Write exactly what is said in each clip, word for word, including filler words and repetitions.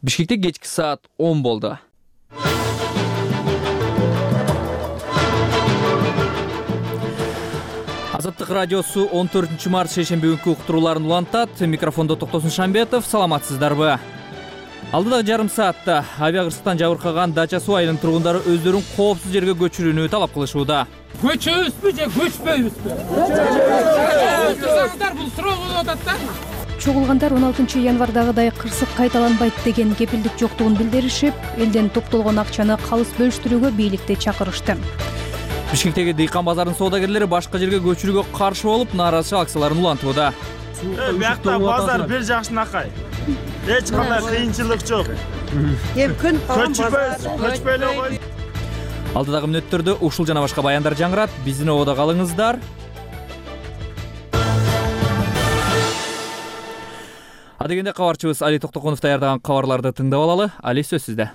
Бишкекте кечки саат он болду. Азаттык радиосу он төртүнчү март шейшемби күнкү уктурууларын улантат. Микрофондо Токтосун Шамбетов. Саламатсыздарбы? Алдыдагы жарым саатта авиа кырсыктан жабыркаган Дача суу айылынын тургундары өздөрүн коопсуз жерге көчүрүүнү талап кылышууда. Көчөбүзбү же көчпөйбүзбү? Бул суроо болуп атат да. Чогулгандар он алтынчы январдагыдай кырсык кайталанбайт деген кепилдик жоктугун билдиришип, элден топтолгон акчаны калыс бөлүштүрүүгө бийликти чакырышты. Бишкектеги дыйкан базарынын соодагерлери башка жерге көчүрүүгө каршы болуп, нааразычылык акцияларын улантууда. Биякта базар бир жакшынакай. Эч кандай кыйынчылык жок. Эми күн көчпөйбүз, көчпөй эле кой. Алдыдагы мүнөттөрдө ушул жана башка баяндар жаңырат. Биздин ободо калыңыздар. Адегенде кабарчыбыз Али Токтоконов даярдаган кабарларды тыңдап алалы. Али, сөз сизде.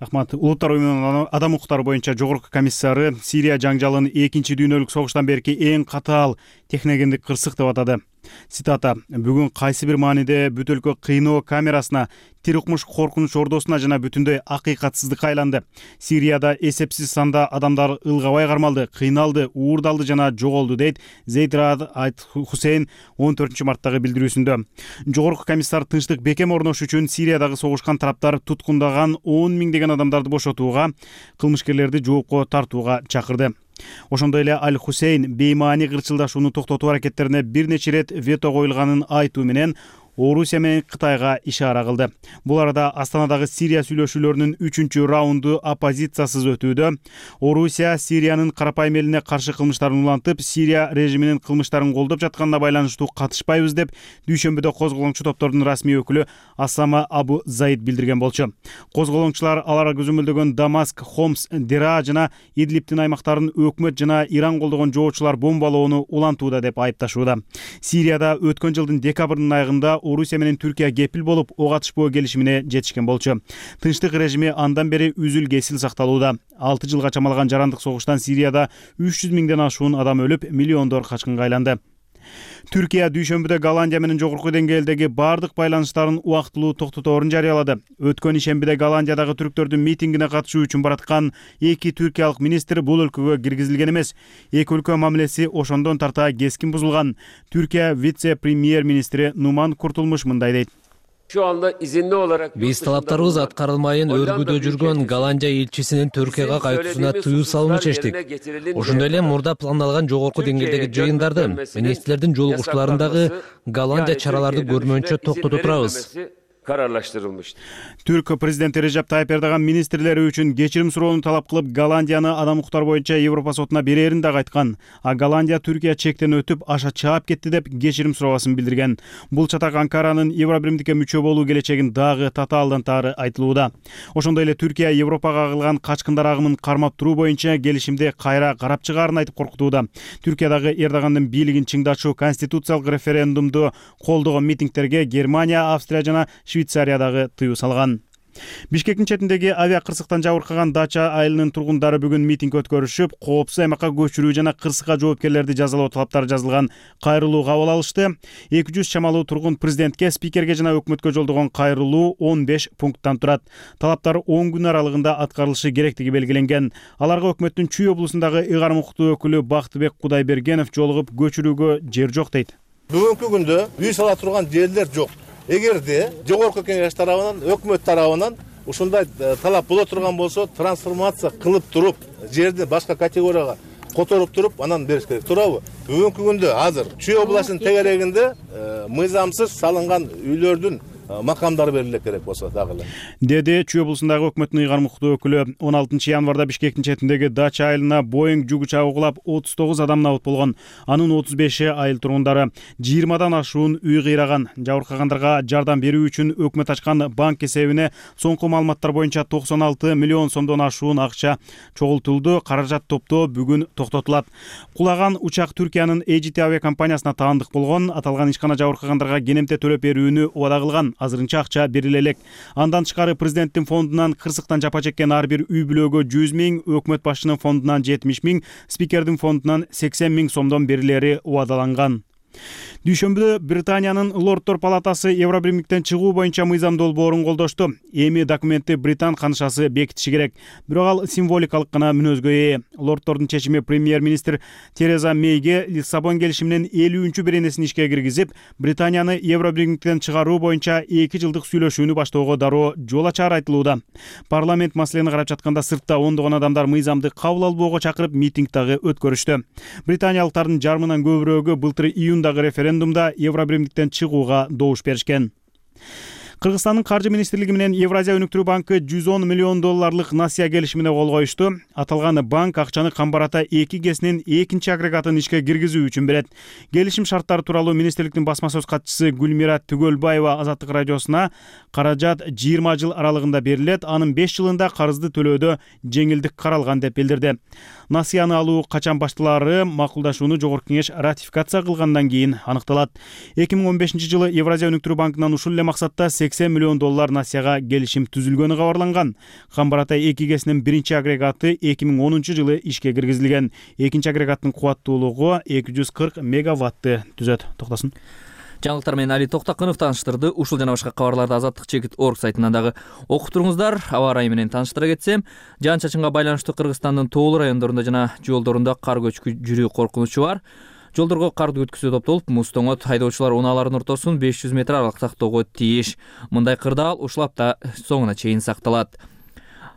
Рахмат. Улуттар уюмунун адам укуктары боюнча жогорку комиссары Сирия жаңжалын экинчи дүйнөлүк согуштан берки эң катаал техногендик кырсык деп атады. Цитата: "Бүгүн кайсы бир мааниде бүт өлкө кыйноо камерасына, тирикмуш коркунуч ордосуна жана бүтүндөй акыйкатсыздыкка айланды. Сирияда эсепсиз санда адамдар ылгабай кармалды, кыйналды, уурдалды жана жоголду", дейт Зейд Раад Аль-Хусейн он төртүнчү марттагы билдирүүсүндө. Жогорку комиссар тынчтык бекем орнош үчүн Сириядагы согушкан тараптар туткундаган он миңдеген адамдарды бошотууга, кылмышкерлерди жоопко тартууга чакырды. Ошондой эле Аль-Хусейн беймаани кырчылдашууну токтотуу аракеттерине бир нече ирет вето коюлганын айтуу менен Орусия менен Кытайга ишара кылды. Бул арада Астанадагы Сирия сүйлөшүүлөрүнүн үчүнчү раунду оппозициясыз өтүүдө. Орусия Сириянын карапайым элине каршы кылмыштарын улантып, Сирия режиминин кылмыштарын колдоп жатканына байланыштуу катышпайбыз деп дүйшөмбүдө козголоңчу топтордун расмий өкүлү Асама Абу Заид билдирген болчу. Козголоңчулар алар көзөмөлдөгөн Дамаск, Хомс, Дера жана Идлибтин аймактарын өкмөт жана Иран колдогон жоочулар бомбалоону улантууда деп айыпташууда. Сирияда өткөн жылдын декабрдын айында Орусия менен Түркия кепил болуп, ок атышпоо келишимине жетишкен болчу. Тынчтык режими андан бери үзүл кесил сакталууда. алты жылга чамалган жарандык согуштан Сирияда үч жүз миңден ашуун адам өлүп, миллиондор качкынга айланды. Түркия дүйшөмбүдө Голландия менен жогорку деңгээлдеги бардык байланыштарын убактылуу токтоторун жарыялады. Өткөн ишембиде Голландиядагы түрктөрдүн митингине катышуу үчүн бараткан эки түркиялык министр бул өлкөгө киргизилген эмес. Эки өлкө мамилеси ошондон тарта кескин бузулган. Түркия вице-премьер-министри Нуман Куртулмуш мындай дейт: Биз талаптарыбыз аткарылмайын өргүдө жүргөн Голландия элчисинин Түркияга кайтуусуна тыюу салууну чечтик. Ошондой эле мурда пландалган жогорку деңгээлдеги жыйындарды, министрлердин жолугушууларындагы Голландия чараларды көрмөөнчө токтото турабыз. kararlaştırılmıştır. Түрк президенти Режеп Тайып Эрдоган министрлери үчүн кечирим суроону талап кылып, Голландияны адам укуктар боюнча Европа сотуна берерин да айткан. А Голландия Түркия чектен өтүп, аша чаап кетти деп кечирим сурообасын билдирген. Бул чатак Анкаранын Евробиримдикке мүчө болуу келечегин дагы татаалдан тары айтылууда. Ошондой эле Түркия Европага агылган качкындар агымын кармап туруу боюнча келишимди кайра карап чыгаарын айтып коркутууда. Түркиядагы Эрдогандын бийлигин чыңдачу конституциялык референдумду колдогон митингтерге Германия, Австрия жана Швейцариядагы тыюу салган. Бишкектин четиндеги авиа кырсыктан жабыркаган Дача айылынын тургундары бүгүн митинг өткөрүшүп, коопсуз аймакка көчүрүү жана кырсыкка жоопкерлерди жазалоо талаптары жазылган кайрылуу кабыл алышты. эки жүз чамалуу тургун президентке, спикерге жана өкмөткө жолдогон кайрылуу он беш пункттан турат. Талаптар он күн аралыгында аткарылышы керектиги белгиленген. Аларга өкмөттүн Чүй облусундагы ыйгарым укуктуу өкүлү Бактыбек Кудайбергенов жолугуп, көчүрүүгө жер жок дейт. Бүгүнкү күндө үй сала турган жерлер жок. Эгерде жогорку кеңеш тарабынан, өкмөт тарабынан ушундай талап боло турган болсо, трансформация кылып туруп, жерди башка категорияга которуп туруп, анан бериш керек. Туурабы? Бүгүнкү күндө азыр Чүй областынын тегерегинде мыйзамсыз салынган үйлөрдүн макамдары бериле керек болсо дагы эле. Деди Чүй облусундагы өкмөттүн ыйгарым укуктуу өкүлү. он алтынчы январда Бишкектин четиндеги Дача айылына Боинг жүк учагы кулап, отуз тогуз адам набыт болгон. Анын отуз беши айыл тургундары. жыйырмадан ашуун үй кыйраган. Жабыркагандарга жардам берүү үчүн өкмөт ачкан банк эсебине соңку маалыматтар боюнча токсон алты миллион сомдон ашуун акча чогултулду. Каражат топтоо бүгүн токтотулат. Кулаган учак Түркиянын Эйджи Ти авиа компаниясына таандык болгон. Аталган ишкана жабыркагандарга кенемте төлөп берүүнү убада кылган. Азырынча акча бериле элек. Андан тышкары президенттин фондунан кырсыктан жапа чеккен ар бир үй бүлөгө жүз миң, өкмөт башчынын фондунан жетимиш миң, спикердин фондунан сексен миң сомдон берилери убадаланган. Дүйшөмбүдө Британиянын Лорддор палатасы Евробиримдиктен чыгуу боюнча мыйзам долбоорун колдошту. Эми документти Британ канышасы бекитиши керек. Бирок ал символикалык гана мүнөзгө ээ. Лорддордун чечими премьер-министр Тереза Мейге Лиссабон келишиминин элүүнчү беренесин ишке киргизип, Британияны Евробиримдиктен чыгаруу боюнча эки жылдык сүйлөшүүнү баштоого дароо жол ачары айтылууда. Парламент маселени карап жатканда сыртта ондогон адамдар мыйзамды кабыл албоого чакырып митинг дагы өткөрүштү. Британиялыктардын жарымынан көбүрөөгү былтыр июндагы референдумда Евробиримдиктен чыгууга добуш беришкен. Кыргызстандын каржы министрлиги менен Евразия өнүктүрүү банкы жүз он миллион долларлык насыя келишимине кол коюшту. Аталган банк акчаны Камбарата эки гэсинин экинчи агрегатын ишке киргизүү үчүн берет. Келишим шарттары тууралуу министрликтин басма сөз катчысы Гүлмира Түгөлбаева Азаттык радиосуна каражат жыйырма жыл аралыгында берилет, анын беш жылында карызды төлөөдө жеңилдик каралган деп билдирди. Насыяны алуу качан башталаары макулдашууну жогорку кеңеш ратификация кылгандан кийин аныкталат. эки миң он бешинчи жылы Евразия өнүктүрүү банкынан ушул эле максатта сексен миллион доллар насыяга келишим түзүлгөнү кабарланган. Камбарата эки гэсинин биринчи агрегаты эки миң онунчу жылы ишке киргизилген. Экинчи агрегаттын кубаттуулугу эки жүз кырк мегаватты түзөт. Токтосун. Жаңылыктар менен Али Токтакынов тааныштырды. Ушул жана башка кабарларды азаттык чекит точка орг сайтынан дагы окуп туруңуздар. Аба ырайы менен тааныштыра кетсем, жаан-чачынга байланыштуу Кыргызстандын тоолуу райондорунда жана жолдорунда кар көчкү жүрүү коркунучу бар. Жолдорго карды өткүзүү топтолуп, муз тоңот, айдоочулар унаалардын ортосун беш жүз метр аралыкта сактоого тийиш. Мындай кырдаал ушул апта соңуна чейин сакталат.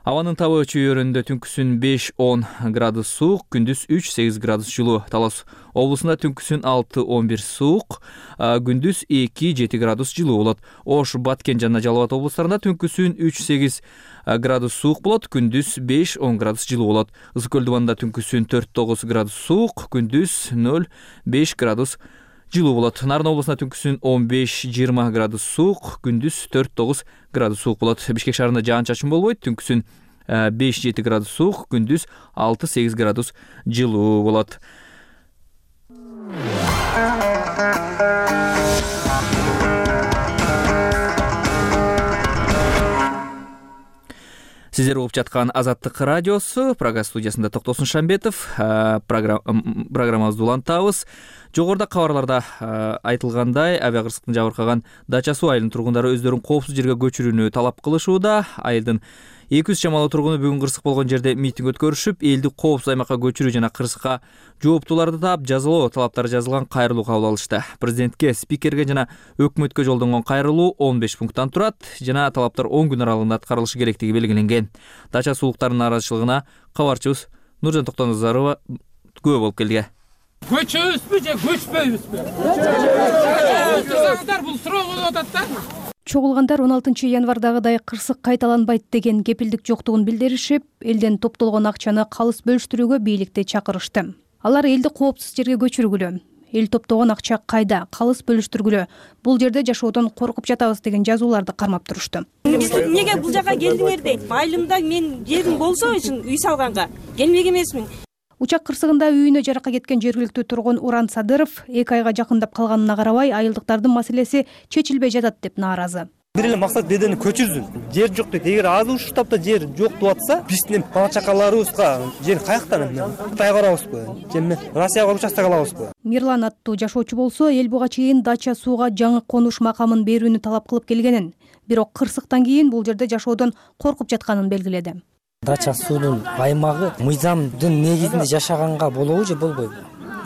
Абанын табы чөйрөндө түнкүсүн беш он градус суук, күндүз үч сегиз градус жылуу. Талас облусунда түнкүсүн алты он бир суук, күндүз эки жети градус жылуу болот. Ош, Баткен жана Жалал Абад облустарында түнкүсүн үч сегиз градус суук болот, күндүз беш он градус жылуу болот. Ысык көл дубанында түнкүсүн төрт тогуз градус суук, күндүз нөл беш градус жылуу болот. Нарын облусунда түнкүсүн он беш жыйырма градус суук, күндүз төрт тогуз градус суук болот. Бишкек шаарында жаан-чачын болбойт, түнкүсүн беш жети градус суук, күндүз алты сегиз градус жылуу болот. Сиздер угуп жаткан Азаттык радиосу, программа студиясында Токтосун Шамбетов, программабызды улантабыз. Жогоруда кабарларда айтылгандай, авиакырсыктын жабыркаган Дача суу айылынын тургундары өздөрүн коопсуз жерге көчүрүүнү талап кылышууда. Айылдын эки жүз чамалуу тургуну бүгүн кырсык болгон жерде митинг өткөрүшүп, элди коопсуз аймакка көчүрүү жана кырсыкка жооптууларды таап жазалоо талаптары жазылган кайрылуу кабыл алышты. Президентке, спикерге жана өкмөткө жолдонгон кайрылуу он беш пункттан турат жана талаптар он күн аралыгында аткарылышы керектиги белгиленген. Дача суулуктарынын нааразычылыгына кабарчыбыз Нуржан Токтоназарова күбө болуп келди. Көчөбүзбү же көчпөйбүзбү? Бул суроо болуп атат да. Чогулгандар он алтынчы январдагыдай кырсык кайталанбайт деген кепилдик жоктугун билдиришип, элден топтолгон акчаны калыс бөлүштүрүүгө бийликти чакырышты. Алар элди коопсуз жерге көчүргүлө, эл топтогон акча кайда, калыс бөлүштүргүлө, бул жерде жашоодон коркуп жатабыз деген жазууларды кармап турушту. Эмнеге бул жака келдиңер дейт. Айылымда мен жерим болсо үчүн үй салганга келмек эмесмин. Учак кырсыгында үйүнө жаракка кеткен жергиликтүү тургун Уран Садыров эки айга жакындап калганына карабай айылдыктардын маселеси чечилбей жатат деп нааразы. Бир эле максат бедени көчүрсүн. Жер жок дейт. Эгер азыр ушул таапта жер жок деп атса, биздин бала чакаларыбызга жер каяктан эмне? Кытайга барабызбы? Же эмне? Россияга участок алабызбы? Мирлан аттуу жашоочу болсо, эл буга чейин Дача сууга жаңы конуш макамын берүүнү талап кылып келгенин, бирок кырсыктан кийин бул жерде жашоодон коркуп жатканын белгиледи. Дача суунун аймагы мыйзамдын негизинде жашаганга болобу же болбойбу?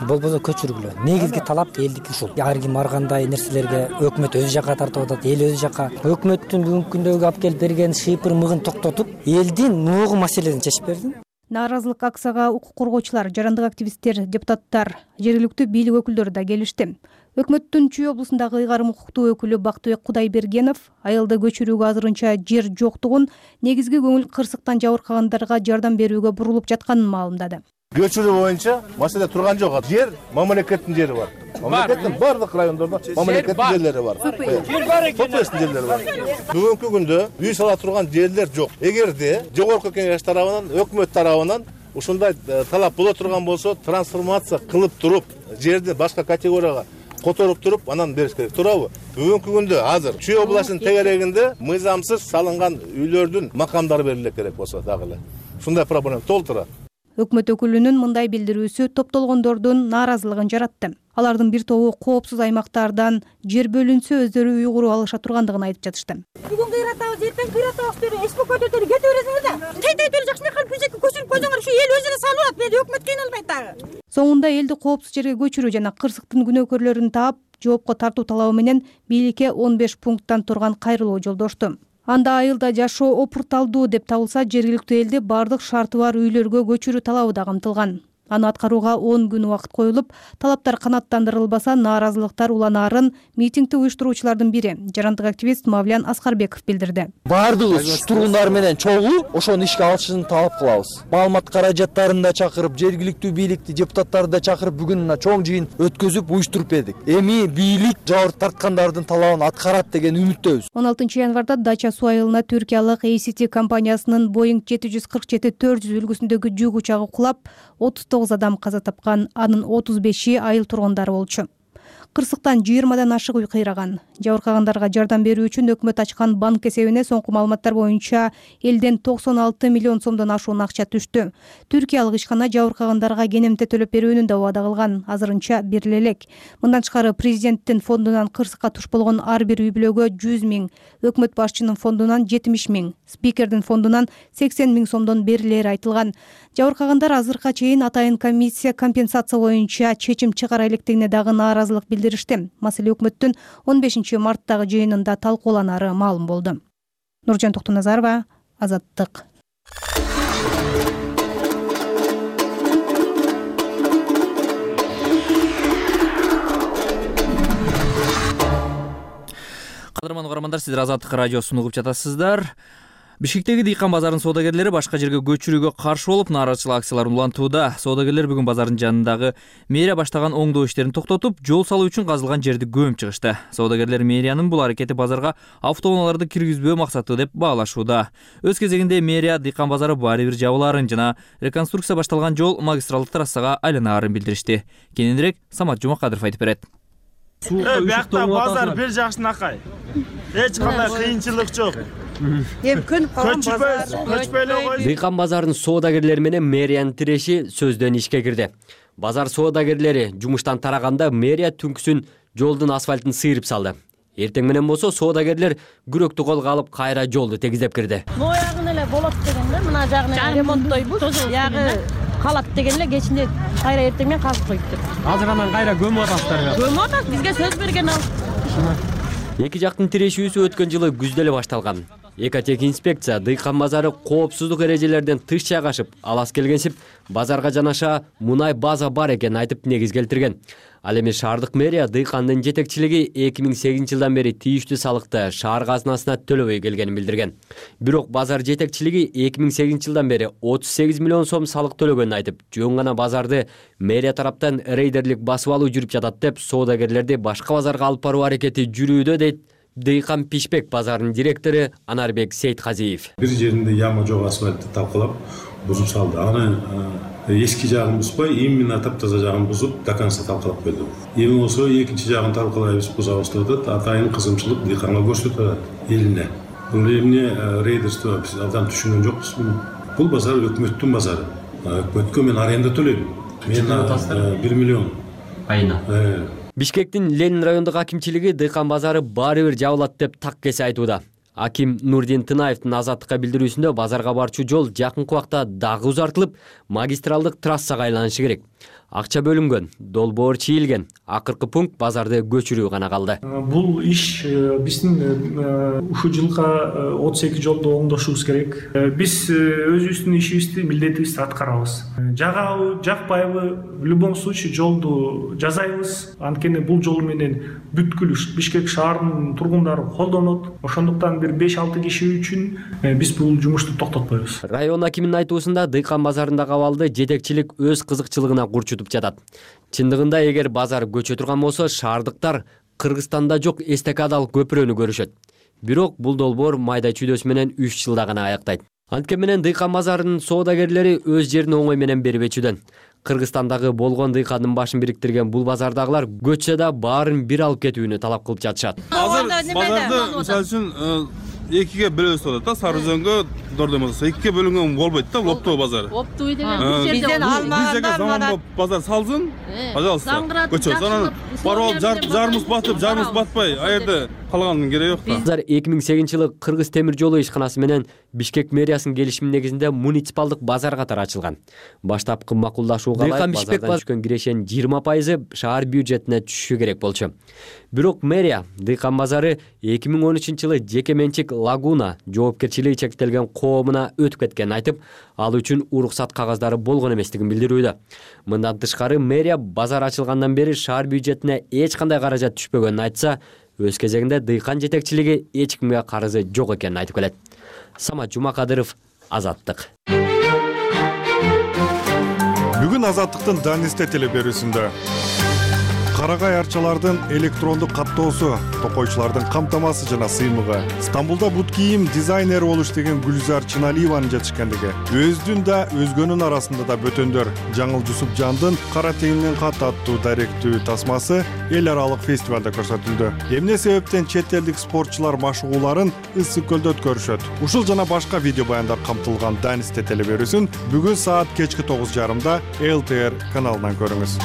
Болбосо көчүргүлө. Негизги талап элдики ушул. Ар ким ар кандай нерселерге өкмөт өзү жака тартып атат, эл өзү жака. Өкмөттүн бүгүнкү күндөгү алып келип берген шыйпыр мыгын токтотуп, элдин ногу маселесин чечип берди. Нааразылык акцияга укук коргоочулар, жарандык активисттер, депутаттар, жергиликтүү бийлик өкүлдөрү да келишти. Өкмөттүн Чүй облусундагы ыйгарым укуктуу өкүлү Бактыбек Кудайбергенов айылды көчүрүүгө азырынча жер жоктугун, негизги көңүл кырсыктан жабыркагандарга жардам берүүгө бурулуп жатканын маалымдады. Көчүрүү боюнча маселе турган жок. Жер мамлекеттин жери бар. Мамлекеттин бардык райондордо мамлекеттин жерлери бар. Жер бар экен. Жерлери бар. Бүгүнкү күндө үй сала турган жерлер жок. Эгерде жогорку кеңеш тарабынан, өкмөт тарабынан ушундай талап боло турган болсо, трансформация кылып туруп, жерди башка категорияга которуп туруп, анан бериш керек. Туурабы? Бүгүнкү күндө азыр Чүй областынын тегерегинде мыйзамсыз салынган үйлөрдүн макамдары бериле керек болсо дагы эле. Ушундай проблема толтура. Өкмөт өкүлүнүн мындай билдирүүсү топтолгондордун нааразылыгын жаратты. Алардын бир тобу коопсуз аймактардан жер бөлүнсө өздөрү үй куруп алыша тургандыгын айтып жатышты. Бүгүн кыйратабыз, эртең кыйратабыз деп эс көтөрүп кете бересиңер да. Кайтайт эле жакшы кылып күзөккө көчүрүп койсоңор ушу эл өзүнө салып алат. Мен өкмөт кыйналбайт дагы. Соңунда элди коопсуз жерге көчүрүү жана кырсыктын күнөөкөрлөрүн таап, жоопко тартуу талабы менен бийликке он беш пункттан турган кайрылуу жолдошту. Анда айылда жашоо опурталдуу деп табылса, жергиликтүү элди бардык шарты бар үйлөргө көчүрүү талабы да камтылган. Аны аткарууга он күн убакыт коюлуп, талаптар канааттандырылбаса, нааразылыктар уланаарын митингди уюштуруучулардын бири, жарандык активист Мавлян Аскарбеков билдирди. Бардыгыбыз тургундар менен чогуу ошону ишке алышын талап кылабыз. Маалымат каражаттарын да чакырып, жергиликтүү бийликти, депутаттарды да чакырып, бүгүн мына чоң жыйын өткөзүп уюштуруп бердик. Эми бийлик жабыр тарткандардын талабын аткарат деген үмүттөбүз. он алтынчы январда Дача суу айылына түркиялык эй си ти компаниясынын Boeing жети жүз кырк жети төрт жүз үлгүсүндөгү жүк учагы кулап, отуз тогуз адам каза тапкан, анын отуз беши айыл тургундары болчу. Кырсыктан жыйырмадан ашык үй кыйраган. Жабыркагандарга жардам берүү үчүн өкмөт ачкан банк эсебине соңку маалыматтар боюнча элден токсон алты миллион сомдон ашуун акча түштү. Түркиялык ишкана жабыркагандарга кенемте төлөп берүүнү да убада кылган, азырынча бериле элек. Мындан тышкары президенттин фондунан кырсыкка туш болгон ар бир үй бүлөгө жүз миң, өкмөт башчынын фондунан жетимиш миң, спикердин фондунан сексен миң сомдон берилери айтылган. Жабыркагандар азыркыга чейин атайын комиссия компенсация боюнча чечим чыгара электигине дагы нааразылык билдиришти. Маселе өкмөттүн он бешинчи марттагы жыйынында талкууланары маалым болду. Нуржан Токтоназарова, Азаттык. Кадырман угармандар, сиздер Азаттык радиосун угуп жатасыздар. Бишкектеги дыйкан базарынын соодагерлери башка жерге көчүрүүгө каршы болуп, нааразычылык акцияларын улантууда. Соодагерлер бүгүн базардын жанындагы мэрия баштаган оңдоо иштерин токтотуп, жол салуу үчүн казылган жерди көмүп чыгышты. Соодагерлер мэриянын бул аракети базарга автоунааларды киргизбөө максаты деп баалашууда. Өз кезегинде мэрия дыйкан базары баары бир жабылаарын жана реконструкция башталган жол магистралдык трассага айланаарын билдиришти. Кененирээк Самат Жумакадыров айтып берет. Биякта базар бир жакшынакай. Эч кандай кыйынчылык жок. Эми көнүп калган базар. Көчпөйлө кой. Дыйкан базарынын соодагерлери менен мэриянын тиреши сөздөн ишке кирди. Базар соодагерлери жумуштан тараганда мэрия түнкүсүн жолдун асфальтын сыйрып салды. Эртең менен болсо соодагерлер күрөктү колго алып кайра жолду тегиздеп кирди. Моягын эле болот дегенде, мына жагын ремонттойбуз. Ягы калат дегенде кечинде кайра эртең менен казып коюптур. Азыр анан кайра көмүп атасыздар. Көмүп атат, бизге сөз берген ал. Эки жактын тирешүүсү өткөн жылы күздө эле башталган. Экотех инспекция дыйкан базары коопсуздук эрежелерден тыш жайгашып, алас келгенсип, базарга жанаша мунай база бар экенин айтып негиз келтирген. Ал эми шаардык мэрия дыйкандын жетекчилиги эки миң сегизинчи жылдан бери тийиштүү салыкты шаар казынасына төлөбөй келгенин билдирген. Бирок базар жетекчилиги эки миң сегизинчи жылдан бери отуз сегиз миллион сом салык төлөгөнүн айтып, жөн гана базарды мэрия тараптан рейдерлик басып алуу жүрүп жатат деп, соодагерлерди башка базарга алып баруу аракети жүрүүдө дейт Дыйкан Пишбек базарынын директору Анарбек Сейтказиев. Бир жеринде яма жок асфальтты талкалап бузуп салды. Аны эски жагын бузбай, именно таптаза жагын бузуп, до конца талкалап койду. Эми болсо экинчи жагын талкалайбыз, бузабыз деп атат. Атайын кызымчылык дыйканга көрсөтүп атат элине. Бул эмне рейдерство биз абдан түшүнгөн жокпуз. Бул базар өкмөттүн базары. Өкмөткө мен аренда төлөйм. Мен бир миллион айына. Бишкектин Ленин райондук акимчилиги дыйкан базары баары бир жабылат деп так кесе айтууда. Аким Нурдин Тынаевдин Азаттыкка билдирүүсүндө базарга барчу жол жакынкы убакта дагы узартылып, магистралдык трассага айланышы керек. Акча бөлүнгөн, долбоор чийилген. Акыркы пункт базарды көчүрүү гана калды. Бул иш биздин ушул жылга отуз эки жолду оңдошубуз керек. Биз өзүбүздүн ишибизди, милдетибизди аткарабыз. Жагабы, жакпайбы, в любом случае жолду жасайбыз. Анткени бул жол менен бүткүл Бишкек шаарынын тургундары колдонот. Ошондуктан бир беш алты киши үчүн биз бул жумушту токтотпойбуз. Район акиминин айтуусунда дыйкан базарындагы абалды жетекчилик өз кызыкчылыгына курчутуп жатат. Чындыгында эгер базар көчө турган болсо, шаардыктар Кыргызстанда жок эстакадалык көпүрөнү көрүшөт. Бирок бул долбоор майда чүйдөсү менен үч жылда гана аяктайт. Анткени менен дыйкан базарынын соодагерлери өз жерин оңой менен бербечүдөн. Кыргызстандагы болгон дыйкандын башын бириктирген бул базардагылар көчсө да баарын бир алып кетүүнү талап кылып жатышат. Азыр базарды мисалы үчүн экиге бөлөбүз деп атат да. Сары Өзөнгө Дордой базары экиге бөлүнгөн болбойт да, Лоптоо базары. Оптуй деген бизден алмагандар заманбап базар салсын, пожалуйста. Көчөбүз. Анан барып жарымыз батып, жарымыз батпай, а жерде калганын кереги жок да. Базар эки миң сегизинчи жылы Кыргыз темир жолу ишканасы менен Бишкек мэриясынын келишими негизинде муниципалдык базар катары ачылган. Баштапкы макулдашууга ылайык базардан түшкөн кирешенин жыйырма пайызы шаар бюджетине түшүшү керек болчу. Бирок мэрия Дыйкан базары эки миң он үчүнчү жылы жеке менчик Лагуна жоопкерчилиги чектелген коомуна өтүп кеткенин айтып, ал үчүн уруксат кагаздары болгон эместигин билдирүүдө. Мындан тышкары мэрия базар ачылгандан бери шаар бюджетине эч кандай каражат түшпөгөнүн айтса, өз кезегинде Дыйкан жетекчилиги эч кимге карызы жок экенин айтып келет. Самат Жумакадыров, Азаттык. Бүгүн Азаттыктын Данисте телеберүүсүндө карагай арчалардын электрондук каттоосу, токойчулардын камтамасы жана сыймыгы, Стамбулда бут кийим дизайнери болуш деген Гүлзар Чыналиеванын жетишкендиги, өздүн да өзгөнүн арасында да бөтөндөр Жаңыл Жусупжандын Кара теңинен кат аттуу даректүү тасмасы эл аралык фестивалда көрсөтүлдү. Эмне себептен чет элдик спортчулар машыгууларын Ысык көлдө өткөрүшөт? Ушул жана башка видео баяндар камтылган Данисте телеберүүсүн бүгүн саат кечки тогуз жарымда эл тэ эр каналынан көрүңүз.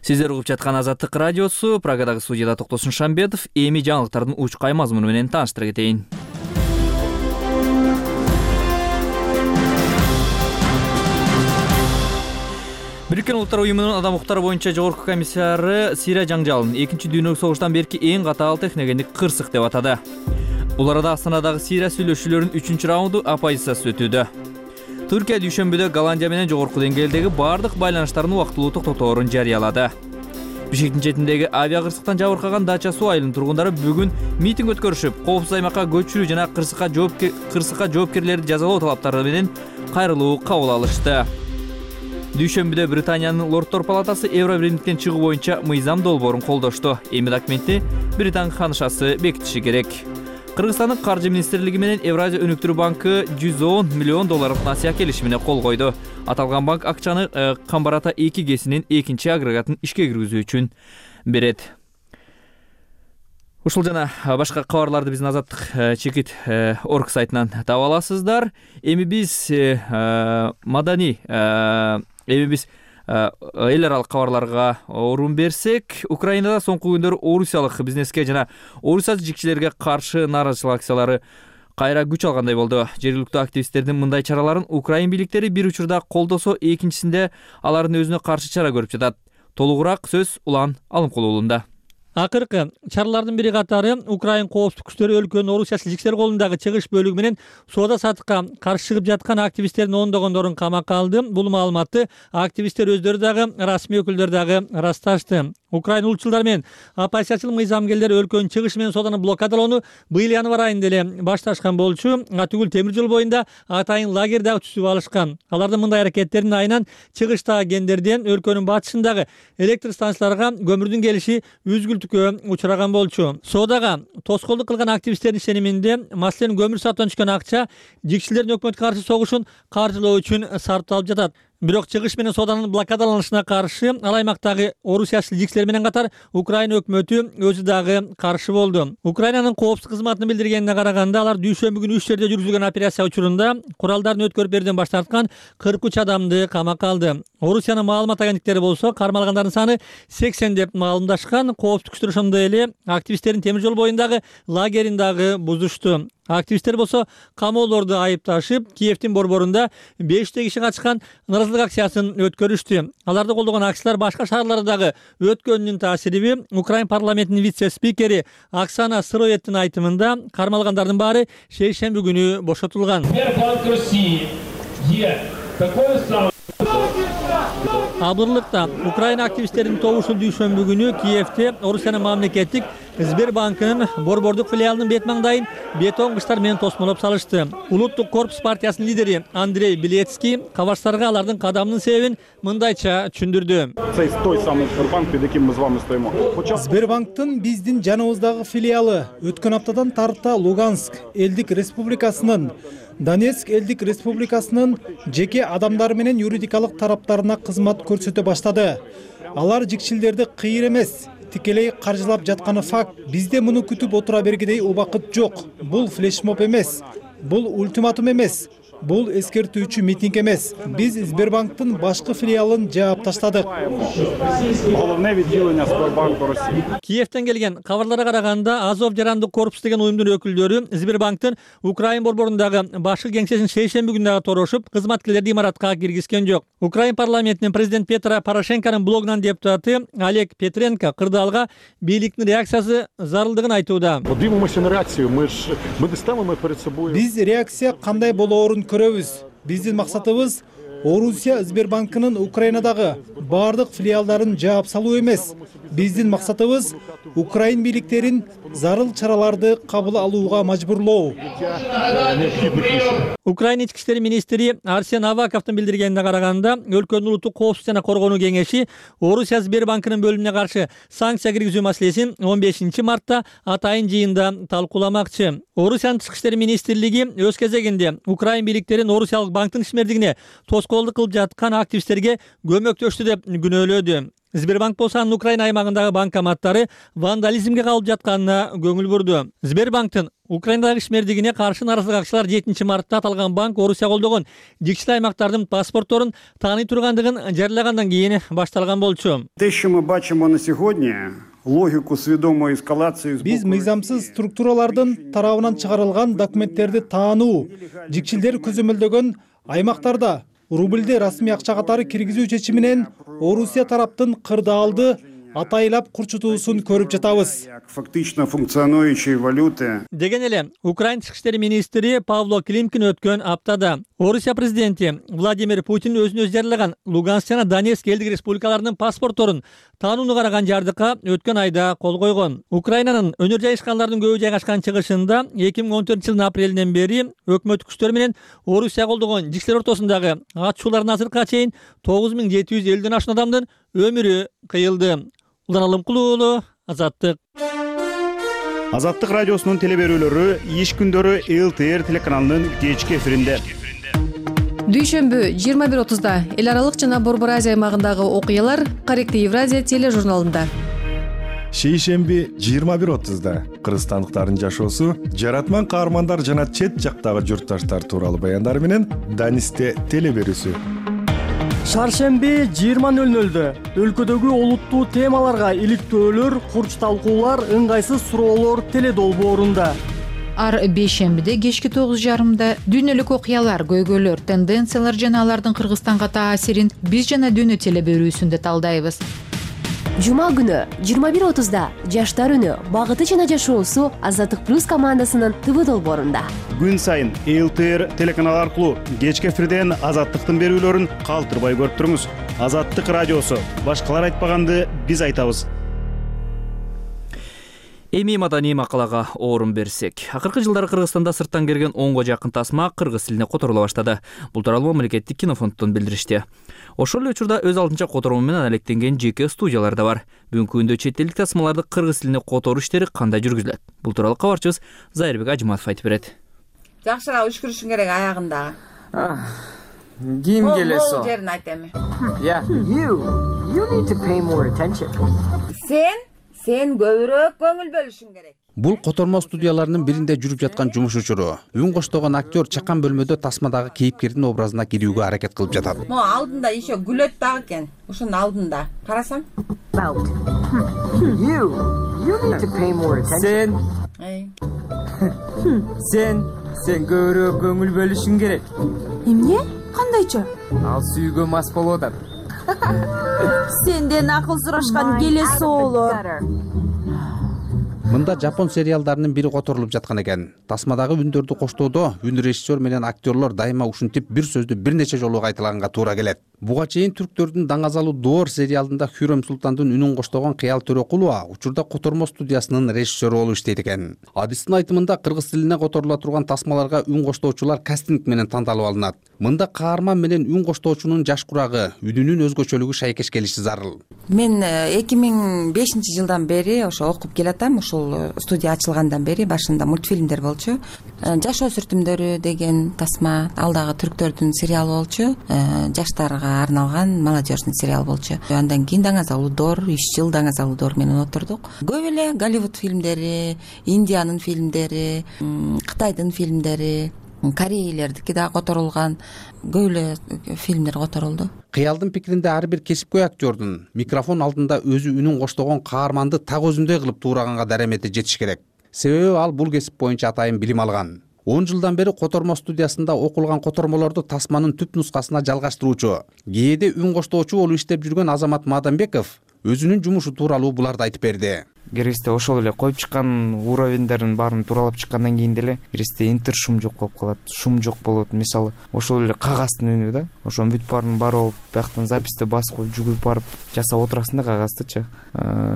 Сиздер угуп жаткан Азаттык радиосу, Прагадагы студияда Токтосун Шамбетов, эми жаңылыктардын учкай мазмуну менен тааныштыра кетейин. Бириккен Улуттар уюмунун адам укуктары боюнча жогорку комиссары Сирия жаңжалын экинчи дүйнөлүк согуштан берки эң катаал техногендик кырсык деп атады. Бул арада Астанадагы Сирия сүйлөшүүлөрүнүн үчүнчү раунду оппозициясы өтүүдө. Түркия дүйшөмбүдө Голландия менен жогорку деңгээлдеги бардык байланыштардын убактылуу токтоторун жарыялады. Бишкектин четиндеги авиа кырсыктан жабыркаган Дача суу айылынын тургундары бүгүн митинг өткөрүшүп, коопсуз аймакка көчүрүү жана кырсыкка кырсыкка жоопкерлерди жазалоо талаптары менен кайрылуу кабыл алышты. Дүйшөмбүдө Британиянын Лордтор палатасы Евробиримдиктен чыгуу боюнча мыйзам долбоорун колдошту. Эми документти Британ ханышасы бекитиши керек. Кыргызстандын каржы министрлиги менен Евразия өнүктүрүү банкы жүз он миллион долларлык насыя келишимине кол койду. Аталган банк акчаны Камбарата эки гэсинин экинчи агрегатын ишке киргизүү үчүн берет. Ушул жана башка кабарларды биздин Азаттык чекит орг сайтынан таба аласыздар. Эми биз маданий эми биз эл аралык кабарларга орун берсек, Украинада соңку күндөр орусиялык бизнеске жана орусия жигчилерге каршы нааразычылык акциялары кайра күч алгандай болду. Жергиликтүү активисттердин мындай чараларын Украин бийликтери бир учурда колдосо, экинчисинде алардын өзүнө каршы чара көрүп жатат. Толугураак сөз Улан Алымкулуулунда. Акыркы чаралардын бири катары Украин коопсуздук күчтөрү өлкөнүн орусия жигчилер колундагы чыгыш бөлүгү менен соода сатыкка каршы чыгып жаткан активисттердин ондогондорун камакка алды. Бул маалыматты активисттер өздөрү дагы, расмий өкүлдөр дагы ырасташты. Украин улутчулдар менен оппозициячыл мыйзамгерлер өлкөнүн чыгышы менен сооданы блокадалоону быйыл январь айында эле башташкан болчу. Атүгүл темир жол боюнда атайын лагерь дагы түзүп алышкан. Алардын мындай аракеттеринин айынан чыгыштагы кендерден өлкөнүн батышындагы электр станцияларга көмүрдүн келиши үзгүлтүккө учураган болчу. Соодага тоскоолдук кылган активисттердин ишениминде, маселен көмүр сатуудан түшкөн акча жигчилердин өкмөткө каршы согушун каржылоо үчүн сарпталып жатат. Бирок чыгыш менен сооданын блокадаланышына каршы ал аймактагы орусиячыл жигчилер менен катар Украина өкмөтү өзү дагы каршы болду. Украинанын коопсуздук кызматынын билдиргенине караганда, алар дүйшөмбү күнү үч жерде жүргүзүлгөн операция учурунда куралдарын өткөрүп берүүдөн баш тарткан кырк үч адамды камакка алды. Орусиянын маалымат агенттиктери болсо кармалгандардын саны сексен деп маалымдашкан. Коопсуздук күчтөр ошондой эле активисттердин темир жол боюндагы лагерин дагы бузушту. Активисттер болсо камоолорду айыпташып, Киевдин борборунда беште киши катышкан нааразылык акциясын өткөрүштү. Аларды колдогон акциялар башка шаарлардагы өткөнүнүн таасириби. Украин парламентинин вице-спикери Оксана Сыроевдин айтымында кармалгандардын баары шейшемби күнү бошотулган. Абырлыкта Украина активисттеринин тобушу дүйшөмбү күнү Киевде Орусиянын мамлекеттик Сбербанкынын борбордук филиалынын бет маңдайын бетон кыштар менен тосмолоп салышты. Улуттук корпус партиясынын лидери Андрей Белецкий кабарчыларга алардын кадамынын себебин мындайча түшүндүрдү. Сбербанктын биздин жаныбыздагы филиалы өткөн аптадан тарта Луганск элдик республикасынын, Донецк элдик республикасынын жеке адамдары менен юридикалык тараптарына кызмат көрсөтө баштады. Алар жигчилдерди кыйыр эмес, тикелей каржылап жатканы факт. Бизде муну күтүп отура бергидей убакыт жок. Бул флешмоб эмес, бул ультиматум эмес, бул эскертүүчү митинг эмес. Биз Сбербанктын башкы филиалын жаап таштадык. Киевден келген кабарларга караганда, Азов жарандык корпус деген уюмдун өкүлдөрү Сбербанктын Украин борборундагы башкы кеңсесин шейшемби күнү дагы торошуп, кызматкерлерди имаратка киргизген жок. Украин парламентинин президент Петро Порошенконун блогунан депутаты Олег Петренко кырдаалга бийликтин реакциясы зарылдыгын айтууда. Биз реакция кандай болоорун көрөбүз. Биздин максатыбыз Орусия Сбербанкынын Украинадагы бардык филиалдарын жаап салуу эмес. Биздин максатыбыз Украин бийликтерин зарыл чараларды кабыл алууга мажбурлоо. Украин ички иштер министри Арсен Аваковдун билдиргенине караганда, өлкөнүн улуттук коопсуздук жана коргонуу кеңеши Орусия Сбербанкынын бөлүмүнө каршы санкция киргизүү маселесин он бешинчи мартта атайын жыйында талкууламакчы. Орусиянын тышкы иштер министрлиги өз кезегинде Украин бийликтерин Орусиялык банктын ишмердигине тоскоолдук кылып жаткан активисттерге көмөктөштү деп күнөөлөдү. Сбербанк болсо анын Украина аймагындагы банкоматтары вандализмге калып жатканына көңүл бурду. Сбербанктын Украинадагы ишмердигине каршы нааразылык акчалар жетинчи мартта аталган банк Орусия колдогон жикчил аймактардын паспортторун тааный тургандыгын жарыялагандан кийин башталган болчу. Те, що ми бачимо на сьогодні, логику свідомої ескалації... Биз мыйзамсыз структуралардын тарабынан чыгарылган документтерди таануу, жикчилдер көзөмөлдөгөн аймактарда рубльди расмий акча катары киргизүү чечиминен Орусия тараптын кырдаалды атайлап курчутуусун көрүп жатабыз. Фактично функционующие валюты. Деген эле Украин тышкы иштер министри Павло Климкин өткөн аптада Орусия президенти Владимир Путин өзүн өзү жарыялаган Луганск жана Донецк элдик республикаларынын паспортторун таанууну караган жардыкка өткөн айда кол койгон. Украинанын өнөр жайышкандардын көбү жайгашкан чыгышында эки миң он төртүнчү жылдын апрелинен бери өкмөттүк күчтөр менен Орусия колдогон жикчилер ортосундагы атышуулардын азыркыга чейин тогуз миң жети жүз элүүдөн ашкан адамдын өмүрү кыйылды. Улан Алымкулуу уулу, Азаттык. Азаттык радиосунун телеберүүлөрү иш күндөрү эл тэ эр телеканалынын кечки эфиринде. Дүйшөмбү жыйырма бир отузда эл аралык жана Борбор Азия аймагындагы окуялар Корректив Евразия тележурналында. Шейшемби жыйырма бир отузда кыргызстандыктардын жашоосу, жаратман каармандар жана чет жактагы журтташтар тууралуу баяндар менен Данисте телеберүүсү. Шаршемби жыйырма нөл нөлдө өлкөдөгү олуттуу темаларга иликтөөлөр, курч талкуулар, ыңгайсыз суроолор теледолбоорунда. Ар бейшембиде кечки тогуз жарымда дүйнөлүк окуялар, көйгөйлөр, тенденциялар жана алардын Кыргызстанга таасирин биз жана дүйнө телеберүүсүндө талдайбыз. Жума күнү жыйырма бир отузда жаштар үнү, багыты жана жашоосу Азаттык плюс командасынын ТВ долбоорунда. Күн сайын эл тэ эр телеканал аркылуу кечки эфирден Азаттыктын берүүлөрүн калтырбай көрүп туруңуз. Азаттык радиосу. Башкалар айтпаганды биз айтабыз. Эми маданий макалага орун берсек. Акыркы жылдары Кыргызстанда сырттан келген онго жакын тасма кыргыз тилине которула баштады. Бул тууралуу мамлекеттик кинофонддон билдиришти. Ошол эле учурда өз алдынча которуу менен алектенген жеке студиялар да бар. Бүгүнкү күндө чет элдик тасмаларды кыргыз тилине которуу иштери кандай жүргүзүлөт? Бул тууралуу кабарчыбыз Зайырбек Ажыматов айтып берет. Жакшыраак үшкүрүшүң керек аягында. Ким келесо? Бул жерин айт эми. Yeah. You, you need to pay more attention. Сен, сен көбүрөөк көңүл бөлүшүң керек. Бул котормо студияларынын биринде жүрүп жаткан жумуш учуру. Үн коштогон актер чакан бөлмөдө тасмадагы кейипкердин образына кирүүгө аракет кылып жатат. Мо алдында еще күлөт дагы экен. Ошонун алдында. Карасаң? You, you need to pay more attention. Сен. Сен, сен көбүрөөк көңүл бөлүшүң керек. Эмне? Кандайча? Ал сүйгө мас болуп атат. Сенден акыл сурашкан келе соолор. Мында жапон сериалдарынын бири которулуп жаткан экен. Тасмадагы үндөрдү коштоодо үн режиссер менен актерлор дайыма ушинтип бир сөздү бир нече жолу кайталаганга туура келет. Буга чейин түрктөрдүн даңазалуу Доор сериалында Хүрөм Султандын үнүн коштогон Кыял Төрөкулова учурда котормо студиясынын режиссеру болуп иштейт экен. Адистин айтымында кыргыз тилине которула турган тасмаларга үн коштоочулар кастинг менен тандалып алынат. Мында каарман менен үн коштоочунун жаш курагы, үнүнүн өзгөчөлүгү шайкеш келиши зарыл. Мен эки миң бешинчи жылдан бери ошо окуп келатам. Ошол ушул студия ачылгандан бери башында мультфильмдер болчу. Жашоо сүртүмдөрү деген тасма, ал дагы түрктөрдүн сериалы болчу. Жаштарга арналган молодежный сериал болчу. Андан кийин Даңазалуу доор, үч жыл Даңазалуу доор менен отурдук. Көп эле Голливуд фильмдери, Индиянын фильмдери, Кытайдын фильмдери, корейлердики дагы которулган, көп эле фильмдер которулду. Кыялдын пикиринде ар бир кесипкөй актёрдун микрофон алдында өзү үнүн коштогон каарманды так өзүндөй кылып туураганга даремети жетиш керек. Себеби ал бул кесип боюнча атайын билим алган. он жылдан бери котормо студиясында окулган котормолорду тасманын түп нускасына жалгаштыруучу, кээде үн коштоочу болуп иштеп жүргөн Азамат Мадамбеков өзүнүн жумушу тууралуу буларды айтып берди. Керисте ошол эле коюп чыккан уровеньдерин баарын тууралап чыккандан кийин деле керисте интер шум жок болуп калат, шум жок болот. Мисалы, ошол эле кагаздын үнү да, ошонун бүт баарын бар болуп, бияктан записти басып коюп жүгүрүп барып жасап отурасың да кагаздычы.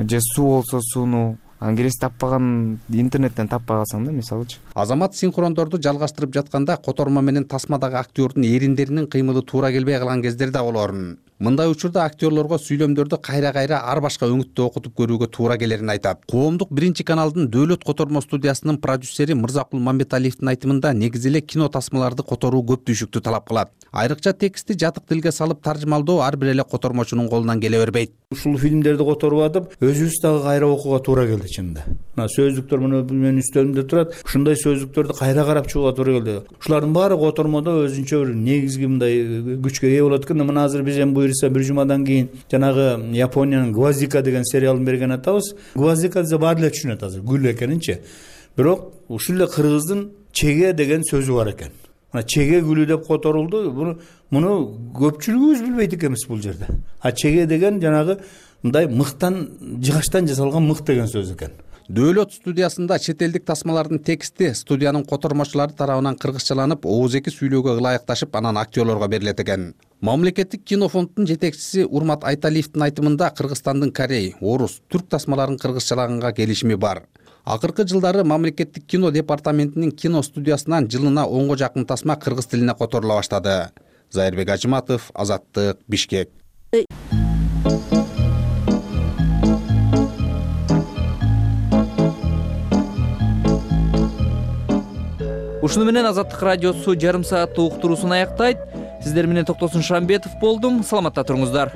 Же суу болсо сууну ангерес таппаган, интернеттен таппай калсаң да, мисалычы. Азамат синхрондорду жалгаштырып жатканда котормо менен тасмадагы актёрдун эриндеринин кыймылы туура келбей калган кездер да болорун. Мындай учурда актёрлорго сүйлөмдөрдү кайра-кайра ар башка өңүттө окутуп көрүүгө туура келерин айтат. Коомдук биринчи каналдын Дөөлөт котормо студиясынын продюсери Мырзакул Мамбеталиевдин айтымында негизи эле кино тасмаларды которуу көп түйшүктү талап кылат. Айрыкча текстти жатык тилге салып таржымалдоо ар бир эле котормочунун колунан келе бербейт. Ушул фильмдерди которуп атып, өзүбүз дагы кайра окууга туура келди чынында. Мына сөздүктөр мына менин үстөлүмдө турат. Ушундай сөздүктөрдү кайра карап чыгууга туура келди. Ушулардын баары котормодо өзүнчө бир негизги мындай күчкө ээ болот экен. Мына азыр биз эми буюрса бир жумадан кийин жанагы Япониянын Гвоздика деген сериалын берген атабыз. Гвоздика десе баары эле түшүнөт азыр, гүл экенинчи. Бирок ушул эле кыргыздын чеге деген сөзү бар экен. Мына чеге гүлү деп которулду. Буну муну көпчүлүгүбүз билбейт экенбиз бул жерде. А чеге деген жанагы мындай мыктан, жыгачтан жасалган мык деген сөз экен. Дөөлөт студиясында чет элдик тасмалардын тексти студиянын котормочулары тарабынан кыргызчаланып, оозеки сүйлөөгө ылайыкташып, анан актёрлорго берилет экен. Мамлекеттик кинофонддун жетекчиси Урмат Айталиевдин айтымында Кыргызстандын корей, орус, түрк тасмаларын кыргызчалаганга келишими бар. Акыркы жылдары мамлекеттик кино департаментинин кино студиясынан жылына онго жакын тасма кыргыз тилине которула баштады. Зайырбек Ажыматов, Азаттык, Бишкек. Ушуну менен Азаттык радиосу жарым сааттык уктуруусун аяктайт. Сиздер менен Токтосун Шамбетов болдум. Саламатта туруңуздар.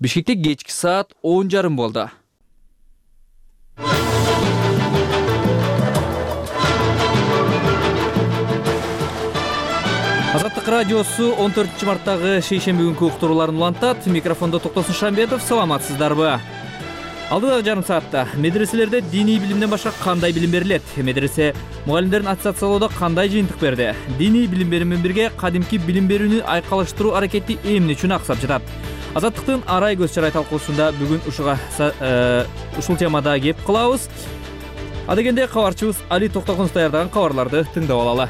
Бишкекте кечки саат он жарым болду. Азаттык радиосу он төртүнчү марттагы шейшемби күнкү уктурууларын улантат. Микрофондо Токтосун Шамбетов. Саламатсыздарбы? Алдыдагы жарым саатта медреселерде диний билимден башка кандай билим берилет? Медресе мугалимдерин аттестациялоодо кандай жыйынтык берди? Диний билим берүү менен бирге кадимки билим берүүнү айкалыштыруу аракети эмне үчүн аксап жатат? Азаттыктын арай көз чарай талкуусунда бүгүн ушуга ушул темада кеп кылабыз. Адегенде кабарчыбыз Али Токтогонов даярдаган кабарларды тыңдап алалы.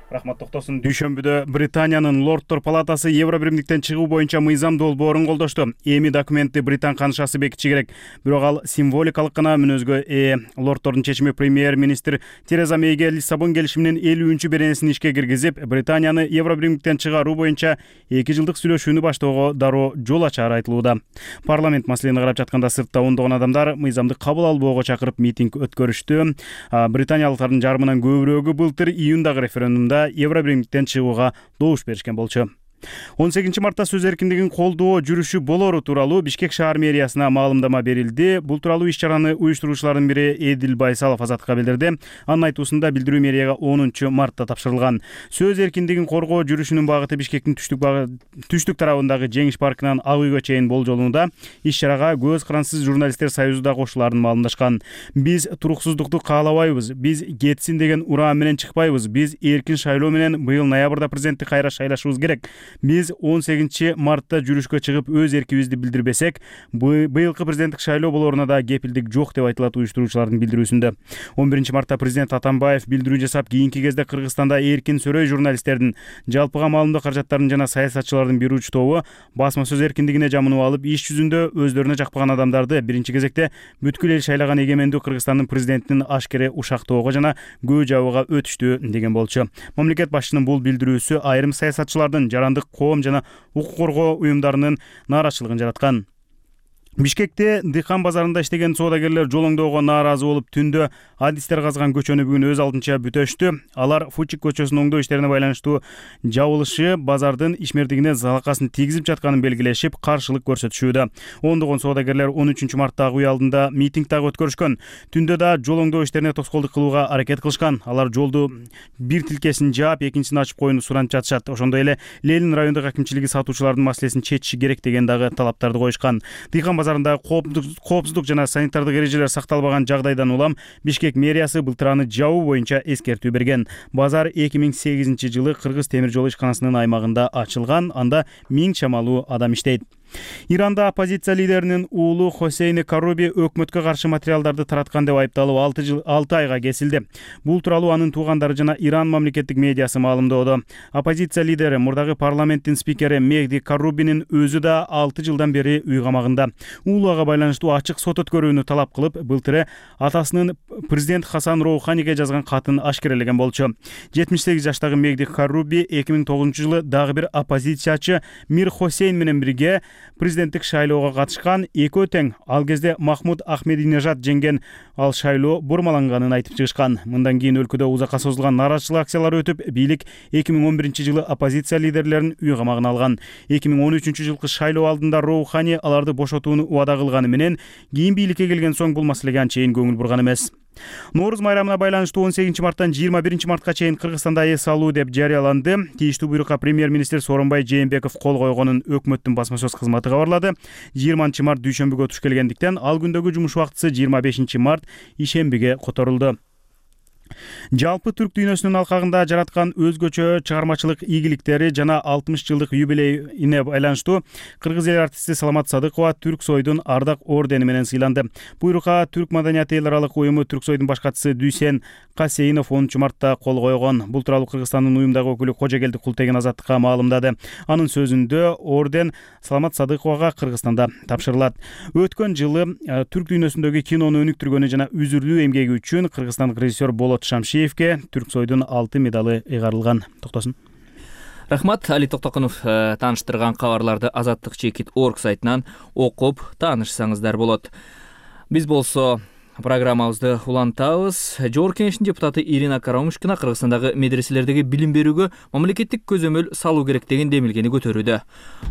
Рахмат Токтосун. Дүйшөмбүдө Британиянын Лордтор палатасы Евро биримдиктен чыгуу боюнча мыйзам долбоорун колдошту. Эми документти Британ канышасы бекитиши керек. Бирок ал символикалык гана мүнөзгө ээ. Лордтордун чечими премьер-министр Тереза Мейге Лиссабон келишиминин элүүнчү беренесин ишке киргизип, Британияны Евро биримдиктен чыгаруу боюнча эки жылдык сүйлөшүүнү баштоого дароо жол ачаары айтылууда. Парламент маселени карап жатканда сыртта ондогон адамдар мыйзамды кабыл албоого чакырып митинг өткөрүштү. Британиялыктардын жарымынан көбүрөөгү былтыр июндагы референдумда Евро биримдиктен чыгууга добуш беришкен болчу. он сегизинчи мартта сөз эркиндигин колдоо жүрүшү болору тууралуу Бишкек шаар мэриясына маалымдама берилди. Бул тууралуу иш-чараны уюштуруучулардын бири Эдил Байсалов Азаттыкка билдирди. Анын айтуусунда билдирүү мэрияга онунчу мартта тапшырылган. Сөз эркиндигин коргоо жүрүшүнүн багыты Бишкектин түштүк түштүк тарабындагы Жеңиш паркынан Ак үйгө чейин болжолууда. Иш-чарага Көз карансыз журналисттер союзу да кошулаарын маалымдашкан. Биз туруксуздукту каалабайбыз. Биз кетсин деген ураан менен чыкпайбыз. Биз эркин шайлоо менен быйыл ноябрда президентти кайра шайлашыбыз керек. Биз он сегизинчи мартта жүрүшкө чыгып өз эркибизди билдирбесек, быйылкы президенттик шайлоо болоруна да кепилдик жок деп айтылат уюштуруучулардын билдирүүсүндө. он биринчи мартта президент Атамбаев билдирүү жасап, кийинки кезде Кыргызстанда эркин сөрөй журналисттердин, жалпыга маалымдоо каражаттарын жана саясатчылардын бир уч тобу басма сөз эркиндигине жамынып алып, иш жүзүндө өздөрүнө жакпаган адамдарды биринчи кезекте бүткүл эл шайлаган эгемендүү Кыргызстандын президентинин ашкере ушактоого жана көө жабууга өтүштү деген болчу. Мамлекет башчынын бул билдирүүсү айрым саясатчылардын жарандык коом жана укук коргоо уюмдарынын нааразычылыгын жараткан. Бишкекте Дыхан базарында иштеген соодагерлер жолоңдоого нааразы болуп, түндө адистер казган көчөнү бүгүн өз алдынча бүтөштү. Алар Фучик көчөсүнүн оңдоо иштерине байланыштуу жабылышы базардын ишмердигине залакасын тийгизип жатканын белгилешип, каршылык көрсөтүшүүдө. Ондогон соодагерлер он үчүнчү мартта үй алдында митинг дагы өткөрүшкөн. Түндө да жолоңдоо иштерине тоскоолдук кылууга аракет кылышкан. Алар жолду бир тилкесин жаап, экинчисин ачып коюуну суранып жатышат. Ошондой эле Ленин райондук акимчилиги сатуучулардын маселесин чечиши керек деген дагы талаптарды коюшкан. Дыхан базарында коопсуздук жана санитардык эрежелер сакталбаган жагдайдан улам Бишкек мэриясы былтыр аны жабуу боюнча эскертүү берген. Базар эки миң сегизинчи жылы Кыргыз темир жолу ишканасынын аймагында ачылган. Анда миң чамалуу адам иштейт. Иранда оппозиция лидеринин уулу Хосейни Каруби өкмөткө каршы материалдарды тараткан деп айыпталып алты жыл алты айга кесилди. Бул тууралуу анын туугандары жана Иран мамлекеттик медиасы маалымдоодо. Оппозиция лидери, мурдагы парламенттин спикери Мехди Карубинин өзү да алты жылдан бери үй камагында. Уулуга байланыштуу ачык сот өткөрүүнү талап кылып, былтыры атасынын президент Хасан Роуханиге жазган катын ашкерелеген болчу. жетимиш сегиз жаштагы Мехди Каруби эки миң тогузунчу жылы дагы бир оппозициячы Мир Хосейн менен бирге президенттик шайлоого катышкан. Экөө тең. Ал кезде Махмуд Ахмединежад жеңген. Ал шайлоо бурмаланганын айтып чыгышкан. Мындан кийин өлкөдө узакка созулган нааразычылык акциялары өтүп, бийлик эки миң он биринчи жылы оппозиция лидерлерин үй камагына алган. эки миң он үчүнчү жылкы шайлоо алдында Роухани аларды бошотууну убада кылганы менен, кийин бийликке келген соң бул маселеге анчейин көңүл бурган эмес. Нооруз майрамына байланыштуу он сегизинчи марттан жыйырма биринчи мартка чейин Кыргызстанда эс алуу деп жарыяланды. Тийиштүү буйрукка премьер-министр Сооронбай Жээнбеков кол койгонун өкмөттүн басма сөз кызматы кабарлады. жыйырманчы март дүйшөмбүгө туш келгендиктен ал күндөгү жумуш убактысы жыйырма бешинчи март ишембиге которулду. Жалпы түрк дүйнөсүнүн алкагында жараткан өзгөчө чыгармачылык ийгиликтери жана алтымыш жылдык юбилейине байланыштуу кыргыз эл артисти Саламат Садыкова Түрксойдун ардак ордени менен сыйланды. Буйрукка Түрк маданияты эл аралык уюму Түрксойдун башкачысы Дүйсен Касейинов онунчу мартта кол койгон. Бул тууралуу Кыргызстандын уюмдагы өкүлү Кожогелди Култеген Азаттыкка маалымдады. Анын сөзүндө орден Саламат Садыковага Кыргызстанда тапшырылат. Өткөн жылы түрк дүйнөсүндөгү кинону өнүктүргөнү жана үзүрлүү эмгеги үчүн кыргызстандык режиссер Болот Шамшиевке Түрксойдун алты медалы ыйгарылган. Токтосун. Рахмат, Али Токтогонов тааныштырган кабарларды азаттык чекит точка орг сайтынан окуп таанышсаңыздар болот. Биз болсо Программабызды улантабыз. Жогорку Кеңештин депутаты Ирина Карамушкина Кыргызстандагы медреселердеги билим берүүгө мамлекеттик көзөмөл салуу керек деген демилгени көтөрүүдө.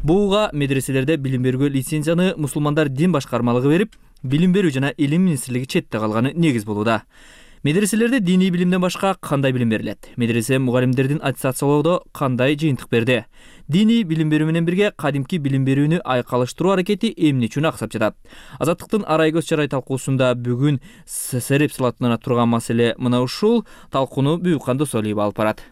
Буга медреселерде билим берүүгө лицензияны мусулмандар дин башкармалыгы берип, билим берүү жана илим министрлиги четте калганы негиз болууда. Медреселерде диний билимден башка кандай билим берилет? Медресе мугалимдердин аттестациялоодо кандай жыйынтык берди? Диний билим берүү менен бирге кадимки билим берүүнү айкалыштыруу аракети эмне үчүн аксап жатат? Азаттыктын арай көз чарай талкуусунда бүгүн сереп салатына турган маселе мына ушул. Талкууну Бүйүкхан Досолиева алып барат.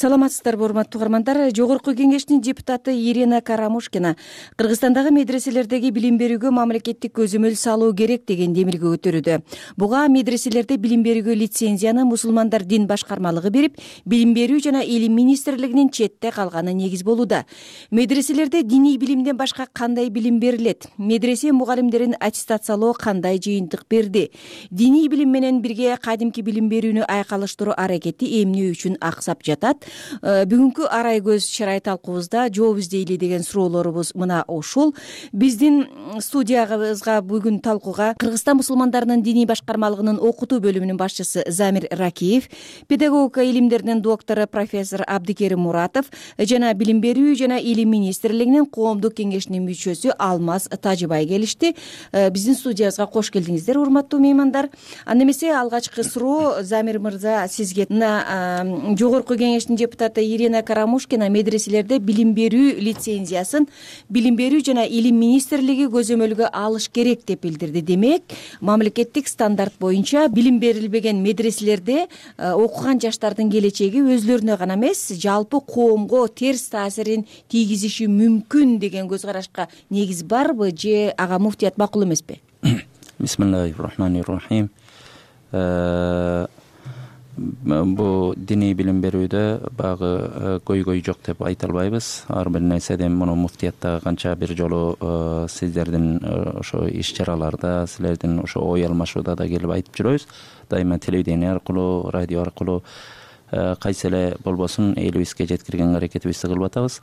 Саламатсыздарбы, урматтуу угармандар. Жогорку Кеңештин депутаты Ирина Карамушкина Кыргызстандагы медреселердеги билим берүүгө мамлекеттик көзөмөл салуу керек деген демилге көтөрүүдө. Буга медреселерде билим берүүгө лицензияны мусулмандар дин башкармалыгы берип, билим берүү жана илим министрлигинин четте калганы негиз болууда. Медреселерде диний билимден башка кандай билим берилет? Медресе мугалимдерин аттестациялоо кандай жыйынтык берди? Диний билим менен бирге кадимки билим берүүнү айкалыштыруу аракети эмне үчүн аксап жатат? Бүгүнкү арай көз чарай талкуубузда жооп издейли деген суроолорубуз мына ушул. Биздин студиябызга бүгүн талкууга Кыргызстан мусулмандарынын диний башкармалыгынын окутуу бөлүмүнүн башчысы Замир Ракиев, педагогика илимдеринин доктору профессор Абдикерим Муратов жана билим берүү жана илим министрлигинин коомдук кеңешинин мүчөсү Алмаз Тажыбай келишти. Биздин студиябызга кош келдиңиздер, урматтуу меймандар. Анда эмесе алгачкы суроо Замир мырза сизге. Мына жогорку кеңештин депутаты Ирина Карамушкина медреселерде билим берүү лицензиясын билим берүү жана илим министрлиги көзөмөлгө алыш керек деп билдирди. Демек, мамлекеттик стандарт боюнча билим берилбеген медреселерде окуган жаштардын келечеги өзлөрүнө гана эмес, жалпы коомго терс таасирин тийгизиши мүмкүн деген көз карашка негиз барбы же ага муфтият макул эмеспи? Бисмиллахир-рахманир-рахим. Бу диний билим берүүдө багы көйгөй жок деп айта албайбыз. Ар бир нерседен муну муфтиятта канча бир жолу сиздердин ошо иш чараларда, силердин ошо ой алмашууда да келип айтып жүрөбүз. Дайыма телевидение аркылуу, радио аркылуу кайсы эле болбосун элибизге жеткирген аракетибизди кылып атабыз.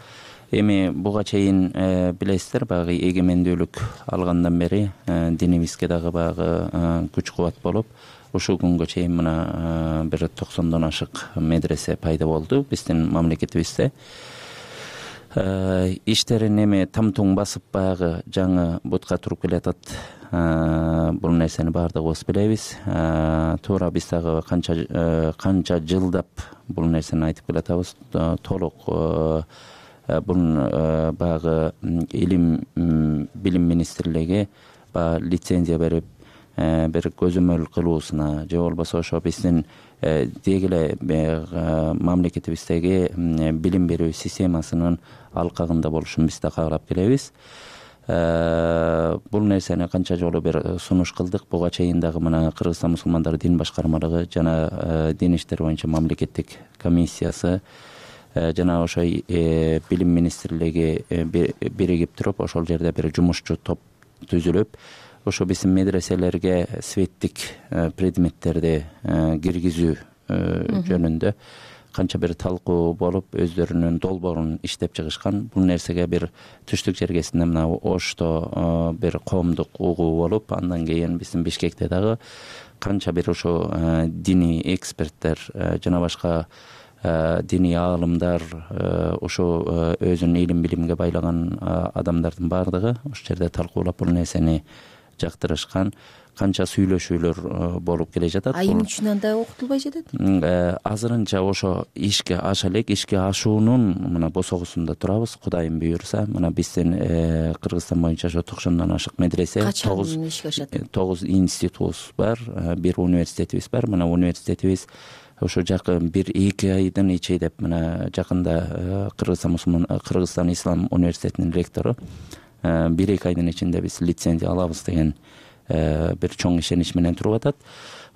Эми буга чейин билесиздер, багы эгемендүүлүк алгандан бери динибизге дагы багы күч кубат болуп, ушул күнгө чейин мына бир токсондон ашык медресе пайда болду биздин мамлекетибизде. Иштерин эми тамтуң басып багы жаңы бутка туруп келатат. Бул нерсени баардыгыбыз билебиз. Туура биз дагы канча канча жылдап бул нерсени айтып келатабыз. Толук бул багы илим билим министрлиги баягы лицензия берип бир көзөмөл кылуусуна же болбосо ошо биздин деги эле мамлекетибиздеги билим берүү системасынын алкагында болушун биз да каалап келебиз. Бул нерсени канча жолу бир сунуш кылдык. Буга чейин дагы мына Кыргызстан мусулмандары дин башкармалыгы жана дин иштери боюнча мамлекеттик комиссиясы жана ошо билим министрлиги биригип туруп ошол жерде бир жумушчу топ түзүлүп, ошо биздин медреселерге светтик предметтерди киргизүү жөнүндө канча бир талкуу болуп, өздөрүнүн долбоорун иштеп чыгышкан. Бул нерсеге бир түштүк жергесинде мына Ошто бир коомдук угуу болуп, андан кийин биздин Бишкекте дагы канча бир ошо диний эксперттер жана башка диний аалымдар, ошо өзүн илим билимге байлаган адамдардын баардыгы ошол жерде талкуулап бул нерсени жактырышкан. Канча сүйлөшүүлөр болуп келе жатат. А эмне үчүн анда окутулбай жатат? Азырынча ошо ишке аша элек, ишке ашуунун мына босогусунда турабыз. Кудайым буйрса, мына биздин Кыргызстан боюнча ошо токсондон ашык медресе, тогуз институтубуз бар, бир университетибиз бар. Мына университетибиз ошо жакын бир эки айдын ичинде мына жакында Кыргызстан мусулман Кыргызстан Ислам университетинин ректору бир эки айдын ичинде биз лицензия алабыз деген бир чоң ишенич менен туруп атат.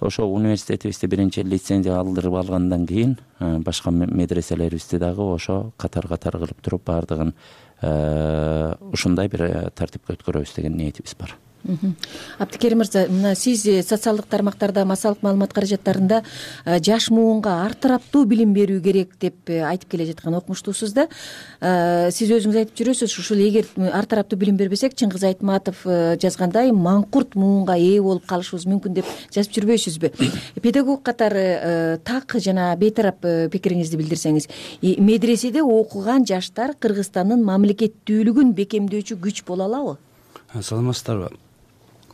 Ошо университетибизди биринчи лицензия алдырып алгандан кийин башка медреселерибизди дагы ошо катар-катар кылып туруп баардыгын ушундай бир тартипке өткөрөбүз деген ниетибиз бар. Абдыкерим мырза, мына сиз социалдык тармактарда массалык маалымат каражаттарында жаш муунга ар тараптуу билим берүү керек деп айтып келе жаткан окумуштуусуз да. Сиз өзүңүз айтып жүрөсүз, ушул эгер ар тараптуу билим бербесек, Чыңгыз Айтматов жазгандай маңкурт муунга ээ болуп калышыбыз мүмкүн деп жазып жүрбөйсүзбү? Педагог катары так жана бейтарап пикириңизди билдирсеңиз. Медреседе окуган жаштар Кыргызстандын мамлекеттүүлүгүн бекемдөөчү күч боло алабы? Саламатсыздарбы?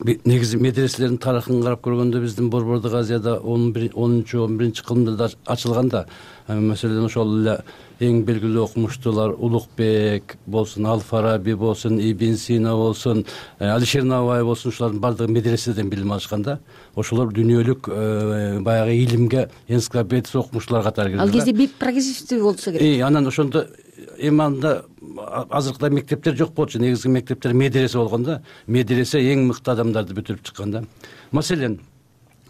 Негизи медреселердин тарыхын карап көргөндө биздин Борбордук Азияда онунчу он биринчи кылымдарда ачылганда, маселен ошол эле эң белгилүү окумуштуулар Улукбек болсун, Ал-Фараби болсун, Ибн Сина болсун, Алишер Наваи болсун, ушулардын баардыгы медреседен билим алышкан да. Ошолор дүйнөлүк баягы илимге энциклопедия окумуштуулар катары кирди. Ал кезде бир прогрессивдүү болсо керек. Э, анан ошондо эми анда азыркыдай мектептер жок болчу, негизги мектептер медресе болгон да. Медресе эң мыкты адамдарды бүтүрүп чыккан да. Маселен,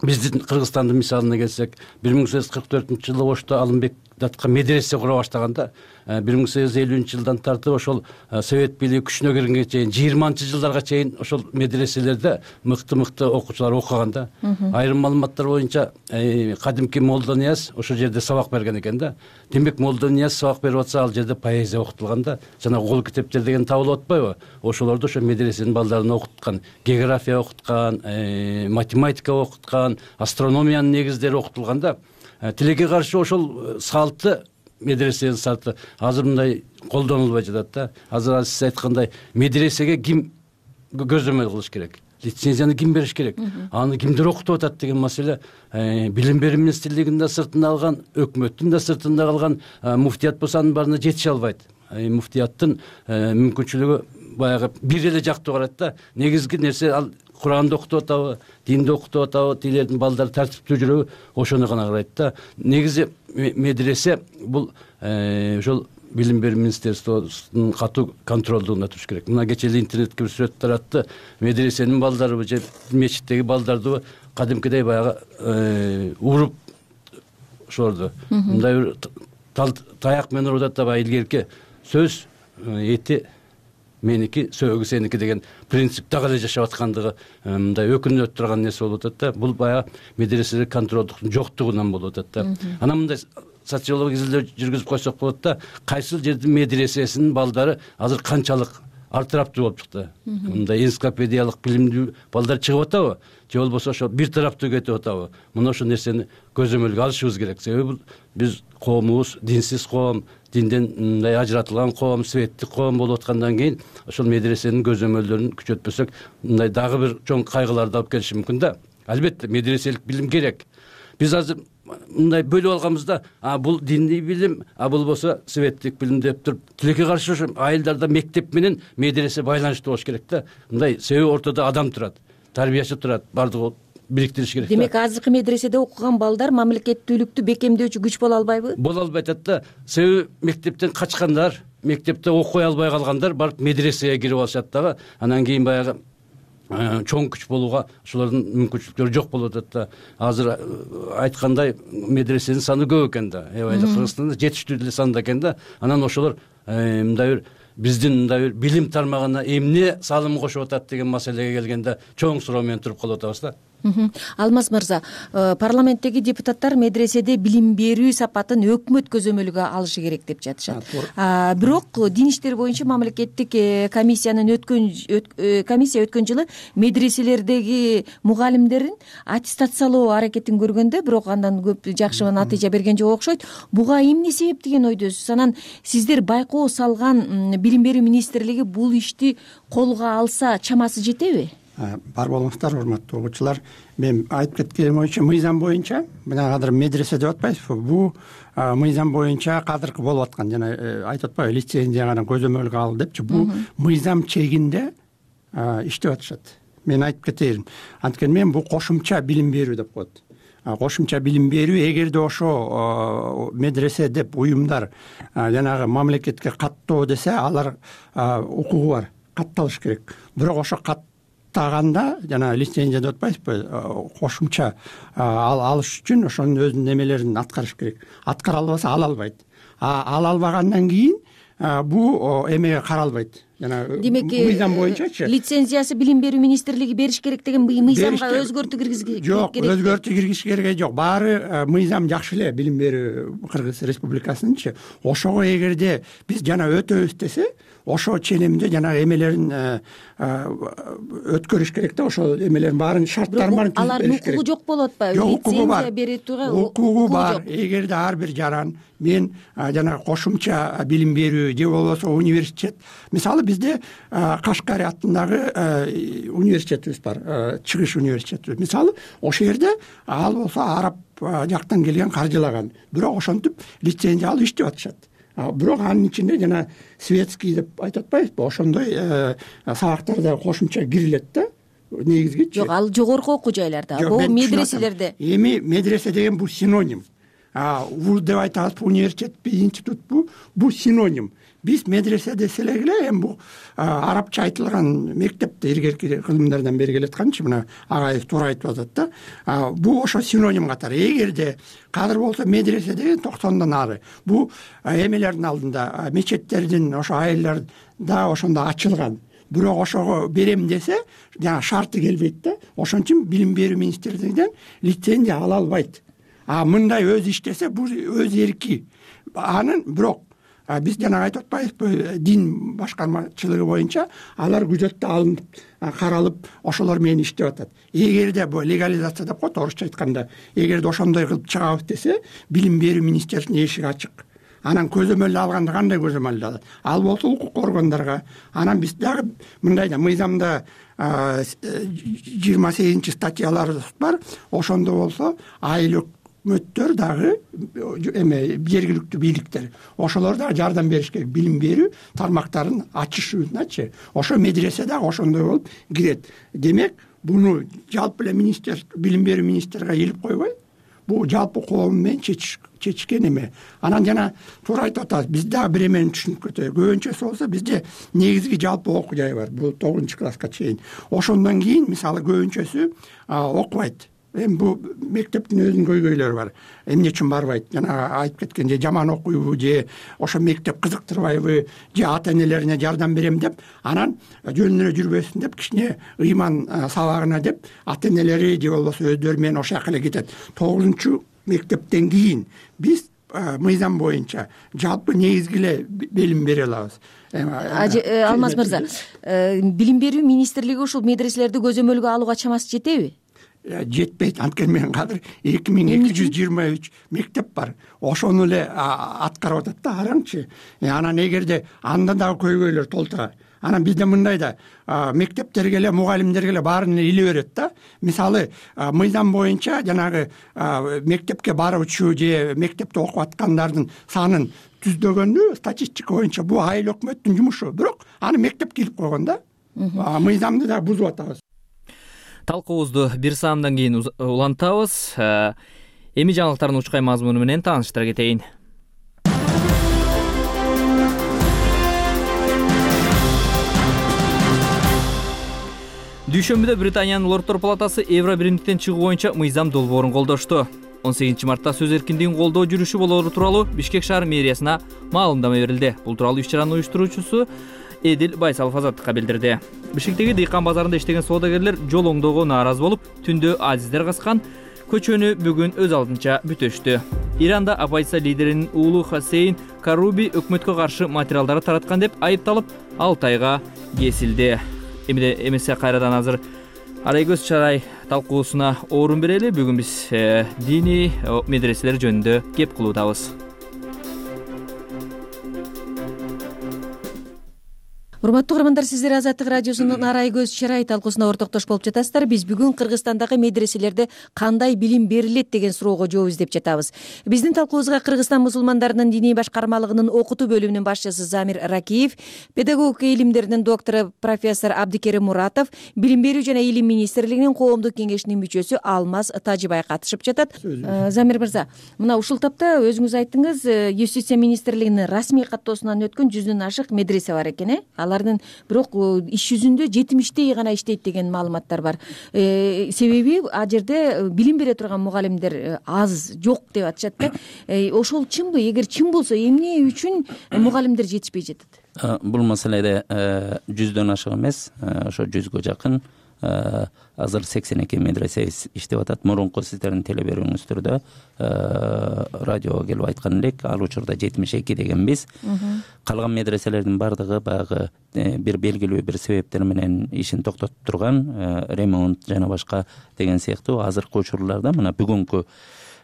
биздин Кыргызстандын мисалына келсек, бир миң сегиз жүз кырк төртүнчү жылы Ошто Алымбек датка медресе кура баштаганда, бир миң сегиз жүз элүүнчү жылдан тартып ошол совет бийлиги күчүнө киргенге чейин жыйырманчы жылдарга чейин ошол медреселерде мыкты-мыкты окуучулар окуган да. Айрым маалыматтар боюнча кадимки Молдо Нияз ошол жерде сабак берген экен да. Демек Молдо Нияз сабак берип атса, ал жерде поэзия окутулган да. Жана кол китептер деген табылып атпайбы? Ошолорду ошо медресенин балдарын окуткан, география окуткан, математика окуткан, астрономиянын негиздери окутулган да. Тилекке каршы ошол салты, медресенин салты азыр мындай колдонулбай жатат да. Азыр сиз айткандай медресеге ким көзөмөл кылыш керек? Лицензияны ким бериш керек? Аны кимдер окутуп атат деген маселе билим берүү министрлигинин да сыртында алган, өкмөттүн да сыртында калган, муфтият болсо анын баарына жетише албайт. Муфтияттын мүмкүнчүлүгү баягы бир эле жактуу карайт да. Негизги нерсе ал Куранды окутуп атабы, динди окутуп атабы, тилердин балдары тартиптүү жүрөбү, ошону гана карайт да. Негизи медресе бул ошол билим берүү министрлигинин катуу контролдугунда туруш керек. Мына кечээ эле интернетке бир сүрөт таратты. Медресенин балдарыбы же мечиттеги балдарды кадимкидей баягы уруп ошолорду мындай бир таяк менен урут атабы, илгерки сөз эти меники, сөөгү сеники деген принцип дагы эле жашап аткандыгы мындай өкүнүп турган нерсе болуп атат да. Бул баягы медреселер контролдуктун жоктугунан болуп атат да. Анан мындай социологиялык изилдөө жүргүзүп койсок болот да. Кайсыл жердин медресесинин балдары азыр канчалык ар тараптуу болуп чыкты. Мындай энциклопедиялык билимдүү балдар чыгып атабы? Же болбосо ошо бир тараптуу кетип атабы? Мына ошол нерсени көзөмөлгө алышыбыз керек. Себеби биз коомубуз динсиз коом, динден мындай ажыратылган коом, светтик коом болуп аткандан кийин ошол медресенин көзөмөлдөрүн күчөтпөсөк, мындай дагы бир чоң кайгыларды алып келиши мүмкүн да. Албетте медреселик билим керек. Биз азыр мындай бөлүп алганбыз да, а бул диний билим, а бул болсо светтик билим деп туруп, тилекке каршы ошо айылдарда мектеп менен медресе байланыштуу болуш керек да. Мындай себеби ортодо адам турат, тарбиячы турат, бардыгы бириктириш керек. Демек азыркы медреседе окуган балдар мамлекеттүүлүктү бекемдөөчү күч боло албайбы? Боло албай атат да. Себеби мектептен качкандар, мектепте окуй албай калгандар барып медресеге кирип алышат дагы. Анан кийин баягы чоң күч болууга ошолордун мүмкүнчүлүктөрү жок болуп атат да. Азыр айткандай медресенин саны көп экен да. Эбайда Кыргызстанда жетиштүү деле санда экен да. Анан ошолор мындай бир биздин мындай бир билим тармагына эмне салым кошуп атат деген маселеге келгенде чоң суроо менен туруп калып атабыз да. Алмаз мырза, парламенттеги депутаттар медреседе билим берүү сапатын өкмөт көзөмөлгө алышы керек деп жатышат. Бирок дин иштери боюнча мамлекеттик комиссиянын өткөн комиссия өткөн жылы медреселердеги мугалимдерин аттестациялоо аракетин көргөндө, бирок андан көп жакшы натыйжа берген жок окшойт. Буга эмне себеп деген ойдосуз? Анан сиздер байкоо салган билим берүү министрлиги бул ишти колго алса чамасы жетеби? Бар болуңуздар, урматтуу угуучулар. Мен айтып кеткеним боюнча, мыйзам боюнча, мына кадыр медресе деп атпайсызбы? Бул мыйзам боюнча кадыркы болуп аткан, жана айтып атпайбы, лицензияны көзөмөлгө ал депчи. Бул мыйзам чегинде иштеп атышат. Мен айтып кетейин. Анткени мен бул кошумча билим берүү деп коет. Кошумча билим берүү, эгерде ошо медресе деп уюмдар жанагы мамлекетке каттоо десе, алар укугу бар, катталыш керек. Бирок ошо кат таганда жана лицензия деп атпайсызбы, кошумча ал алыш үчүн ошонун өзүнүн немелерин аткарыш керек. Аткара албаса ала албайт. А ала албагандан кийин бул эмеге каралбайт. Жана демек мыйзам боюнчачы лицензиясы билим берүү министрлиги бериш керек деген мыйзамга өзгөртүү киргизги жок, өзгөртүү киргизиш кереги жок. Баары мыйзам жакшы эле билим берүү Кыргыз Республикасынынчы. Ошого эгерде биз жана өтөбүз десе, ошо ченемде жана эмелерин өткөрүш керек да, ошол эмелердин баарын шарттарын баарын түзүп бериш керек. Алардын укугу жок болуп атпайбы? Лицензия берүүгө укугу бар. Эгерде ар бир жаран мен жана кошумча билим берүү же болбосо университет, мисалы бизде Кашкари атындагы университетибиз бар, чыгыш университети. Мисалы ошол жерде ал болсо араб жактан келген каржылаган, бирок ошентип лицензия алып иштеп атышат. Бирок анын ичинде жана светский деп айтып атпайбызбы, ошондой сабактар да кошумча кирилет да, негизгичи. Жок, ал жогорку окуу жайларда, бул медреселерде. Эми медресе деген бул синоним. Вуз деп айтабызбы, университетпи, институтпу, бул синоним. Биз медресе десек эле эми бул арабча айтылган мектепте илгерки кылымдардан бери келатканчы, мына агаев туура айтып атат да. Бул ошо синоним катары. Эгерде кадыр болсо медресе деген токсондон ары. Бул эмелердин алдында, мечеттердин ошо айылдарда ошондо ачылган. Бирок ошого берем десе, жана шарты келбейт да. Ошон үчүн билим берүү министрлигинен лицензия ала албайт. А мындай өз иштесе, бул өз эрки. Анын бирок биз жана айтып атпайбызбы, дин башкармачылыгы боюнча алар күзөттө алынып, каралып, ошолор менен иштеп атат. Эгерде бул легализация деп коет орусча айтканда, эгерде ошондой кылып чыгабыз десе, билим берүү министрлигинин эшиги ачык. Анан көзөмөл алганда кандай көзөмөл алат? Ал болсо укук органдарга. Анан биз дагы мындай да мыйзамда жыйырма сегизинчи статьялар бар. Ошондо болсо айыл өкмөттөр дагы эме жергиликтүү бийликтер, ошолор дагы жардам бериш керек, билим берүү тармактарын ачышыбызначы. Ошо медресе дагы ошондой болуп кирет. Демек, буну жалпы эле министр, билим берүү министрге илип койбой, бул жалпы коом менен чечишкен эме. Анан жана туура айтып атабыз, биз дагы бир эмени түшүнүп кетели. Көбүнчөсү болсо бизде негизги жалпы окуу жай бар, бул тогузунчу класска чейин. Ошондон кийин мисалы көбүнчөсү окубайт. Эми бул мектептин өзүнүн көйгөйлөрү бар. Эмне үчүн барбайт? Жана айтып кеткен, же жаман окуйбу, же ошо мектеп кызыктырбайбы, же ата-энелерине жардам берем деп, анан жөнүнө жүрбөсүн деп, кичине ыйман сабагына деп, ата-энелери же болбосо өздөрү менен ошол жака эле кетет. тогузунчу мектептен кийин биз мыйзам боюнча жалпы негизги эле билим бере алабыз. Алмаз мырза, билим берүү министрлиги ушул медреселерди көзөмөлгө алууга чамасы жетеби? Жетпейт. Анткени мен кадыр эки миң эки жүз жыйырма үч мектеп бар. Ошону эле аткарып атат да, араңчы. Анан эгерде анда дагы көйгөйлөр толтура. Анан бизде мындай да мектептерге эле, мугалимдерге эле баарын иле берет да. Мисалы, мыйзам боюнча жанагы мектепке баруучу же мектепте окуп аткандардын санын түздөгөндү статистика боюнча бул айыл өкмөттүн жумушу. Бирок аны мектеп кирип койгон да. Мыйзамды да бузуп атабыз. Талкуубузду бир саамдан кийин улантабыз. Эми жаңылыктардын учкай мазмуну менен тааныштыра кетейин. Дүйшөмбүдө Британиянын Лордтор палатасы Евро биримдиктен чыгуу боюнча мыйзам долбоорун колдошту. он сегизинчи мартта сөз эркиндигин колдоо жүрүшү болоору тууралуу Бишкек шаар мэриясына маалымдама берилди. Бул тууралуу иш-чаранын уюштуруучусу Эдил Байсалов Азаттыкка билдирди. Бишкектеги Дыйкан базарында иштеген соодагерлер жол оңдоого нааразы болуп, түндө азиздер каскан көчөнү бүгүн өз алдынча бүтөштү. Иранда оппозиция лидеринин уулу Хасейн Каруби өкмөткө каршы материалдарды тараткан деп айыпталып, алты айга кесилди. Эмиде эмесе кайрадан азыр Арайгөз Чарай талкуусуна орун берели. Бүгүн биз диний медреселер жөнүндө кеп кылуудабыз. Урматтуу угармандар, сиздер Азаттык радиосунун Арайгөз Чарай талкуусуна ортоктош болуп жатасыздар. Биз бүгүн Кыргызстандагы медреселерде кандай билим берилет деген суроого жооп издеп жатабыз. Биздин талкуубузга Кыргызстан мусулмандарынын диний башкармалыгынын окутуу бөлүмүнүн башчысы Замир Ракиев, педагогика илимдеринин доктору профессор Абдикерим Муратов, билим берүү жана илим министрлигинин коомдук кеңешинин мүчөсү Алмаз Тажибай катышып жатат. Замир мырза, мына ушул тапта өзүңүз айттыңыз, юстиция министрлигинин расмий каттоосунан өткөн жүздөн ашык медресе бар экен, э? алардын бирок иш жүзүндө жетимиштей гана иштейт деген маалыматтар бар. Себеби ал жерде билим бере турган мугалимдер аз, жок деп атышат да. Ошол чынбы? Эгер чын болсо эмне үчүн мугалимдер жетишпей жатат? Бул маселеде жүздөн ашык эмес, ошо жүзгө жакын азыр сексен эки медресе иштеп атат. Мурунку сиздердин теле берүүңүздөрдө радиого келип айткан элек, ал учурда жетимиш эки дегенбиз. Калган медреселердин бардыгы баягы бир белгилүү бир себептер менен ишин токтотуп турган, ремонт жана башка деген сыяктуу. Азыркы учурларда мына бүгүнкү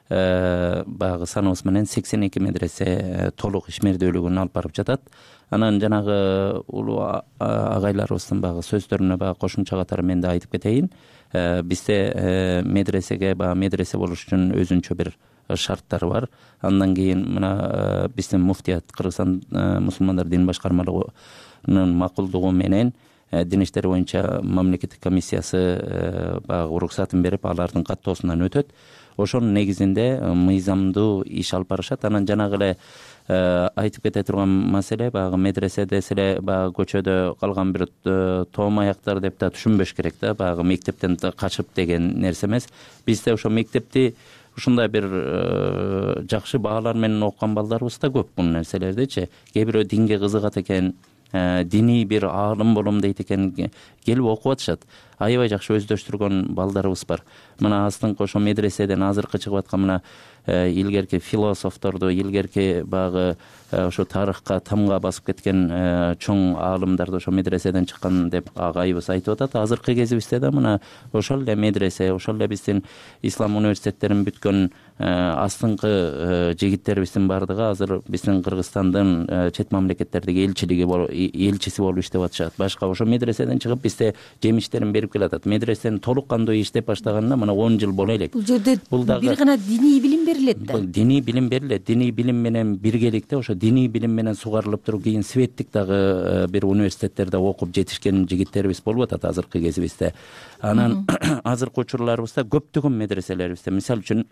баягы саныбыз менен сексен эки медресе толук ишмердүүлүгүн алып барып жатат. Анан жанагы улуу агайларыбыздын баягы сөздөрүнө баягы кошумча катары мен да айтып кетейин. Бизде медресеге баягы медресе болуш үчүн өзүнчө бир шарттар бар. Андан кийин мына биздин муфтият, Кыргызстан мусулмандар дин башкармалыгынын макулдугу менен дин иштери боюнча мамлекеттик комиссиясы баягы уруксатын берип, алардын каттоосунан өтөт. Ошонун негизинде мыйзамдуу иш алып барышат. Анан жанагы эле айтып кете турган маселе баягы медресе десе эле баягы көчөдө калган бир тоом аяктар деп да түшүнбөш керек да, баягы мектептен качып деген нерсе эмес. Бизде ошо мектепти ушундай бир жакшы баалар менен окуган балдарыбыз да көп бул нерселердичи. Кээ бирөө динге кызыгат экен, диний бир аалым болом дейт экен, келип окуп атышат. Аябай жакшы өздөштүргөн балдарыбыз бар. Мына астыңкы ошо медреседен азыркы чыгып аткан мына илгерки философторду, илгерки баягы ошо тарыхка тамга басып кеткен чоң аалымдарды ошо медреседен чыккан деп агайыбыз айтып атат. Азыркы кезибизде да мына ошол эле медресе, ошол эле биздин ислам университеттерин бүткөн астыңкы жигиттерибиздин бардыгы азыр биздин Кыргызстандын чет мамлекеттердеги элчилиги элчиси болуп иштеп атышат. Башка ошо медреседен чыгып бизде жемиштерин берип келатат. Медресенин толук кандуу иштеп баштаганына мына он жыл боло элек. Бул жерде бир гана диний билим берилет да. Диний билим берилет. Диний билим менен биргеликте ошо диний билим менен сугарылып туруп кийин светтик дагы бир университеттерде окуп жетишкен жигиттерибиз болуп атат азыркы кезибизде. Анан азыркы учурларыбызда көптөгөн медреселерибизде, мисалы үчүн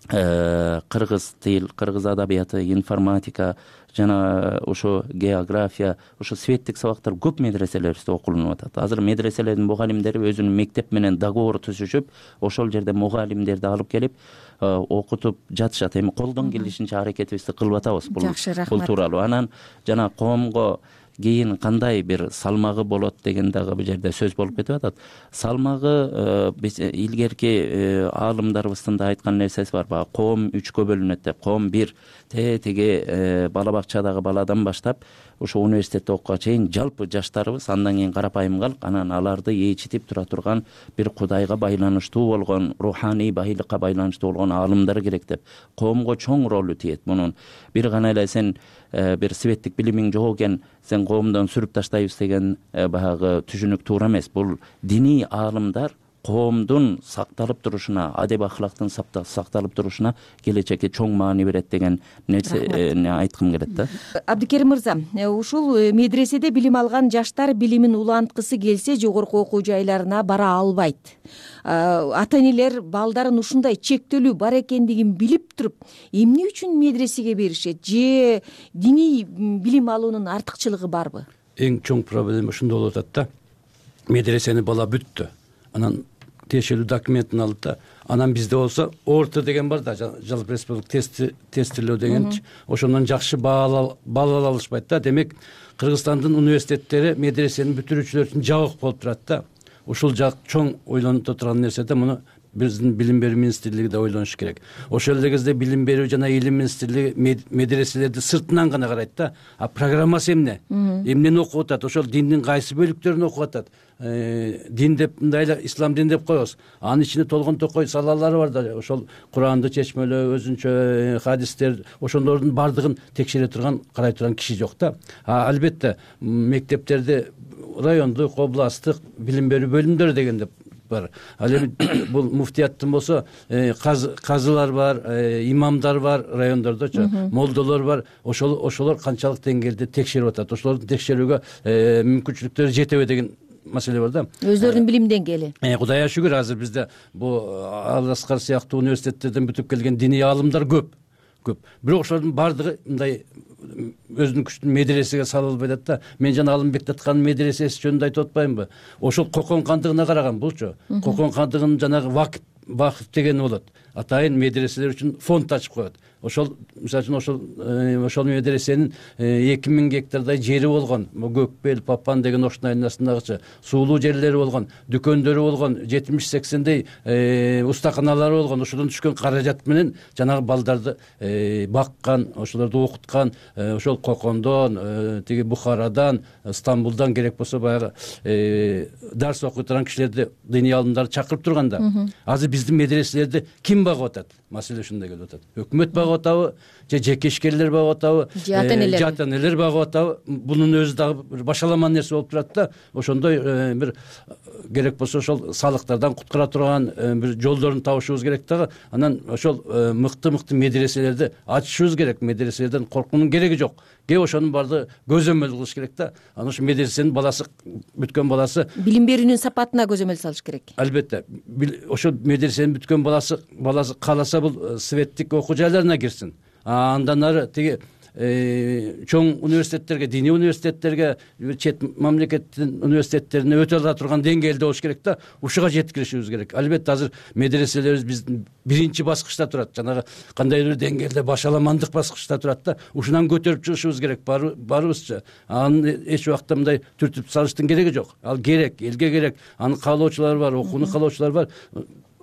кыргыз тил, кыргыз адабияты, информатика жана ошо география, ошо светтик сабактар көп медреселерибизде окулунуп атат. Азыр медреселердин мугалимдери өзүнүн мектеп менен договор түзүшүп, ошол жерде мугалимдерди алып келип окутуп жатышат. Эми колдон келишинче аракетибизди кылып атабыз бул бул тууралуу. Анан жана коомго кийин кандай бир салмагы болот деген дагы бул жерде сөз болуп кетип атат. Салмагы биз илгерки аалымдарыбыздын да айткан нерсеси бар. Баягы коом үчкө бөлүнөт деп. Коом бир теги бала бакчадагы баладан баштап ошо университетте окууга чейин жалпы жаштарыбыз, андан кийин карапайым калк, анан аларды ээчитип тура турган бир Кудайга байланыштуу болгон, руханий байлыкка байланыштуу болгон аалымдар керек деп. Коомго чоң ролу тиет мунун. Бир гана эле сен бир светтик билимиң жок экен, сен коомдон сүрүп таштайбыз деген баягы түшүнүк туура эмес. Бул диний аалымдар коомдун сакталып турушуна, адеп ахлактын сакталып турушуна келечекке чоң маани берет деген нерсени айткым келет да. Абдыкерим мырза, ушул медреседе билим алган жаштар билимин уланткысы келсе жогорку окуу жайларына бара албайт. Ата энелер балдарын ушундай чектөлүү бар экендигин билип туруп, эмне үчүн медресеге беришет? Же диний билим алуунун артыкчылыгы барбы? Эң чоң проблема ушунда болуп атат да. Медресени бала бүттү. Анан тиешелүү документин алып да, анан бизде болсо орто деген бар да, жалпы республика тести тестилөө деген, ошондон жакшы баал ала алышпайт да. Демек Кыргызстандын университеттери медресенин бүтүрүүчүлөр үчүн жабык болуп турат да. Ушул жак чоң ойлонуп турган нерсе да. Муну биздин билим берүү министрлиги да ойлонуш керек. Ошол эле кезде билим берүү жана илим министрлиги медреселерди сыртынан гана карайт да. А программасы эмне? Эмнени окуп атат? Ошол диндин кайсы бөлүктөрүн окуп атат? Дин деп мындай эле ислам дин деп коебуз. Анын ичинде толгон токой салалары бар да. Ошол Куранды чечмелөө, өзүнчө хадистер, ошондордун бардыгын текшере турган, карай турган киши жок да. А албетте мектептерде райондук, областтык билим берүү бөлүмдөрү деген деп бар. Ал эми бул муфтияттын болсо казылар бар, имамдар бар райондордочу, молдолор бар. Ошол ошолор канчалык деңгээлде текшерип атат? Ошолорду текшерүүгө мүмкүнчүлүктөрү жетеби деген маселе бар да. Өздөрүнүн билим деңгээли. Кудайга шүгүр, азыр бизде бул Ал Аскар сыяктуу университеттерден бүтүп келген диний аалымдар көп. Көп. Бирок ошолордун бардыгы мындай өзүнүн күчтүү медресеге сала албай атат да. Мен жана Алымбек атканын медресеси жөнүндө айтып атпаймынбы? Ошол Кокон кандыгына караган булчу. Кокон кандыгынын жанагы вакыт вакыф деген болот. Атайын медреселер үчүн фонд ачып коет. Ошол мисалы үчүн ошол ошол медресенин эки миң гектардай жери болгон. Көкбел, Папан деген ошонун айнасындагычы суулуу жерлери болгон, дүкөндөрү болгон, жетимиш сексендей устаканалары болгон. Ошодон түшкөн каражат менен жанагы балдарды баккан, ошолорду окуткан, ошол Кокондон, тиги Бухарадан, Стамбулдан керек болсо баягы дарс окуй турган кишилерди, диний алымдарды чакырып турганда. Азыр биздин медреселерди ким багып атат? Маселе ушундай келип атат. Өкмөт багып атабы, же жеке ишкерлер багып атабы, же ата энелер багып атабы? Бунун өзү дагы бир башаламан нерсе болуп турат да. Ошондой бир керек болсо ошол салыктардан куткара турган бир жолдорун табышыбыз керек дагы. Анан ошол мыкты-мыкты медреселерди ачышыбыз керек. Медреселерден коркуунун кереги жок. Кээ ошонун баардыгы көзөмөл кылыш керек да. Анан ошо медресенин баласы бүткөн баласы билим берүүнүн сапатына көзөмөл салыш керек. Албетте. Ошо медресенин бүткөн баласы баласы кааласа бул светтик окуу жайларына кирсин. Андан ары тиги чоң университеттерге, диний университеттерге, чет мамлекеттин университеттерине өтө ала турган деңгээлде болуш керек да. Ушуга жеткиришибиз керек. Албетте азыр медреселерибиз биздин биринчи баскычта турат. Жанагы кандайдыр деңгээлде башаламандык баскычта турат да. Ушунан көтөрүп чыгышыбыз керек барыбызча. Аны эч убакта мындай түртүп салыштын кереги жок. Ал керек, элге керек. Аны каалоочулар бар, окууну каалоочулар бар.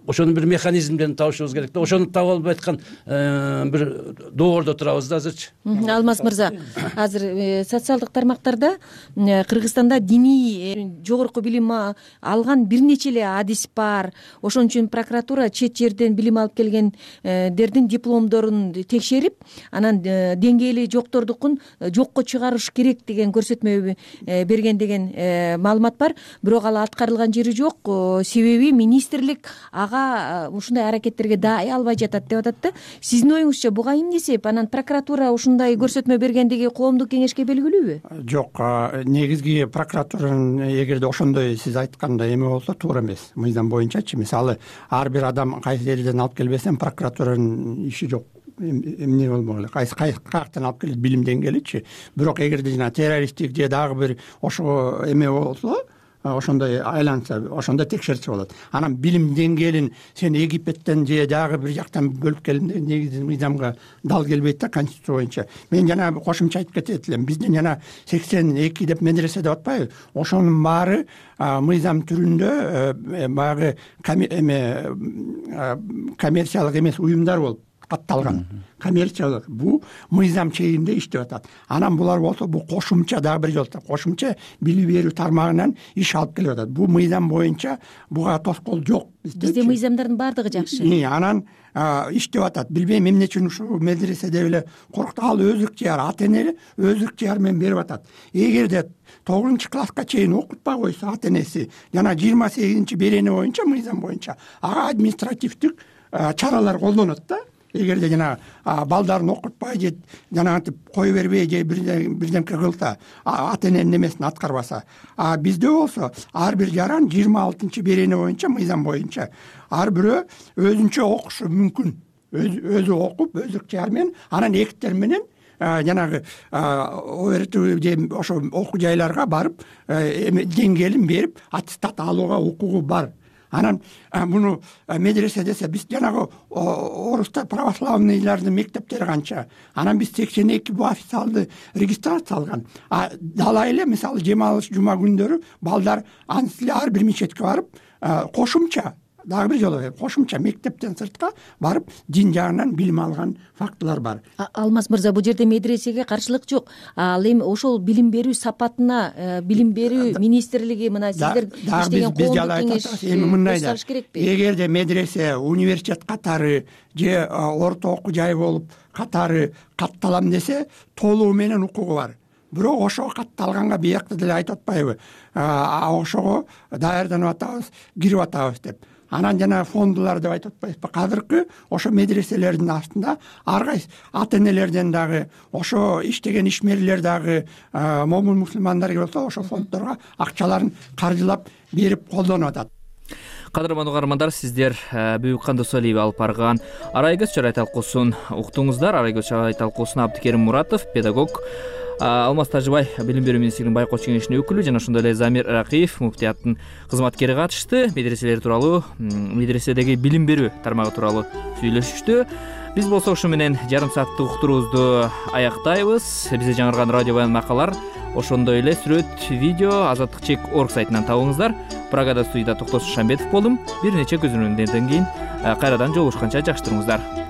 Ошонун бир механизмдерин табышыбыз керек да. Ошону таба албай аткан бир доордо турабыз да азырчы. Алмаз мырза, азыр социалдык тармактарда Кыргызстанда диний жогорку билим алган бир нече эле адис бар. Ошон үчүн прокуратура чет жерден билим алып келгендердин дипломдорун текшерип, анан деңгээли жоктордукун жокко чыгарыш керек деген көрсөтмө берген деген маалымат бар. Бирок ал аткарылган жери жок. Себеби министрлик ушундай аракеттерге даай албай жатат деп атат да. Сиздин оюңузча буга эмне себеп? Анан прокуратура ушундай көрсөтмө бергендиги коомдук кеңешке белгилүүбү? Жок, негизги прокуратуранын эгерде ошондой сиз айткандай эме болсо туура эмес. Мыйзам боюнчачы, мисалы ар бир адам кайсы жерден алып келбесем прокуратуранын иши жок. Эмне болмогуле, кайсы каяктан алып келет билим деңгээличи. Бирок эгерде жана террористтик же дагы бир ошого эме болсо, ошондой айланса, ошондо текшерсе болот. Анан билим деңгээлин сен Египеттен же дагы бир жактан бөлүп келдим деген негизи мыйзамга дал келбейт да, конституция боюнча. Мен жана кошумча айтып кетет элем. Биздин жана сексен эки деп медресе деп атпайбы? Ошонун баары мыйзам түрүндө баягы эме коммерциялык эмес уюмдар болуп катталган. Коммерциялык бул мыйзам чегинде иштеп атат. Анан булар болсо бул кошумча дагы бир жолу кошумча билим берүү тармагынан иш алып келип атат. Бул мыйзам боюнча буга тоскоол жок. Бизде мыйзамдардын баардыгы жакшы. Анан иштеп атат. Билбейм эмне үчүн ушул медреседе эле коркуп ал өзүк жер, ата эне өзүк жер менен берип атат. Эгерде тогузунчу класска чейин окутпай койсо ата энеси жана жыйырма сегизинчи берене боюнча мыйзам боюнча ага административдик чаралар колдонот да. Эгерде жана балдарын окутпай же жанагынтип кое бербей же бирдемке кылса, ата эненин немесин аткарбаса. А бизде болсо ар бир жаран жыйырма алтынчы берене боюнча мыйзам боюнча ар бирөө өзүнчө окушу мүмкүн. Өзү окуп, өзүк жар менен, анан эктер менен жанагы оорту же ошо окуу жайларга барып деңгээлин берип аттестат алууга укугу бар. Анан муну медресе десе биз жанагы орустар православныйлардын мектептери канча. Анан биз сексен эки бул официалдуу регистрация алган. А дала эле мисалы жема алыш жума күндөрү балдар анысы эле ар бир мечетке барып кошумча дагы бир жолу кошумча мектептен сыртка барып дин жагынан билим алган фактылар бар. Алмаз мырза, бул жерде медресеге каршылык жок. Ал эми ошол билим берүү сапатына билим берүү министрлиги мына сиздер иштеген коомдук кеңеш эми мындай да. Эгерде медресе, университет катары же орто окуу жай болуп катары катталам десе, толугу менен укугу бар. Бирок ошого катталганга биякта деле айтып атпайбы? Ошого даярданып атабыз, кирип атабыз деп. Анан жана фондулар деп айтып атпайбызбы? Азыркы ошо медреселердин астында ар кайсы ата энелерден дагы, ошо иштеген ишмерлер дагы, момун мусулмандар болсо ошо фонддорго акчаларын каржылап берип колдонуп атат. Кадырман угармандар, сиздер Бүбүк Кандосалиева алып барган Арай көз чарай талкуусун уктуңуздар. Арай көз чарай талкуусуна Абдыкерим Муратов, педагог, Алмаз Тажыбай, Билим берүү министрлигинин байкоочу кеңешинин өкүлү жана ошондой эле Замир Ракиев, муфтияттын кызматкери катышты. Медреселер тууралуу, медреседеги билим берүү тармагы тууралуу сүйлөшүштү. Биз болсо ушу менен жарым сааттык уктуруубузду аяктайбыз. Бизде жаңырган радио баян макалар, ошондой эле сүрөт, видео азаттык чек точка орг сайтынан табыңыздар. Прагада студияда Токтосун Шамбетов болдум. Бир нече көзөмөлдөрдөн кийин кайрадан жолугушканча жакшы туруңуздар.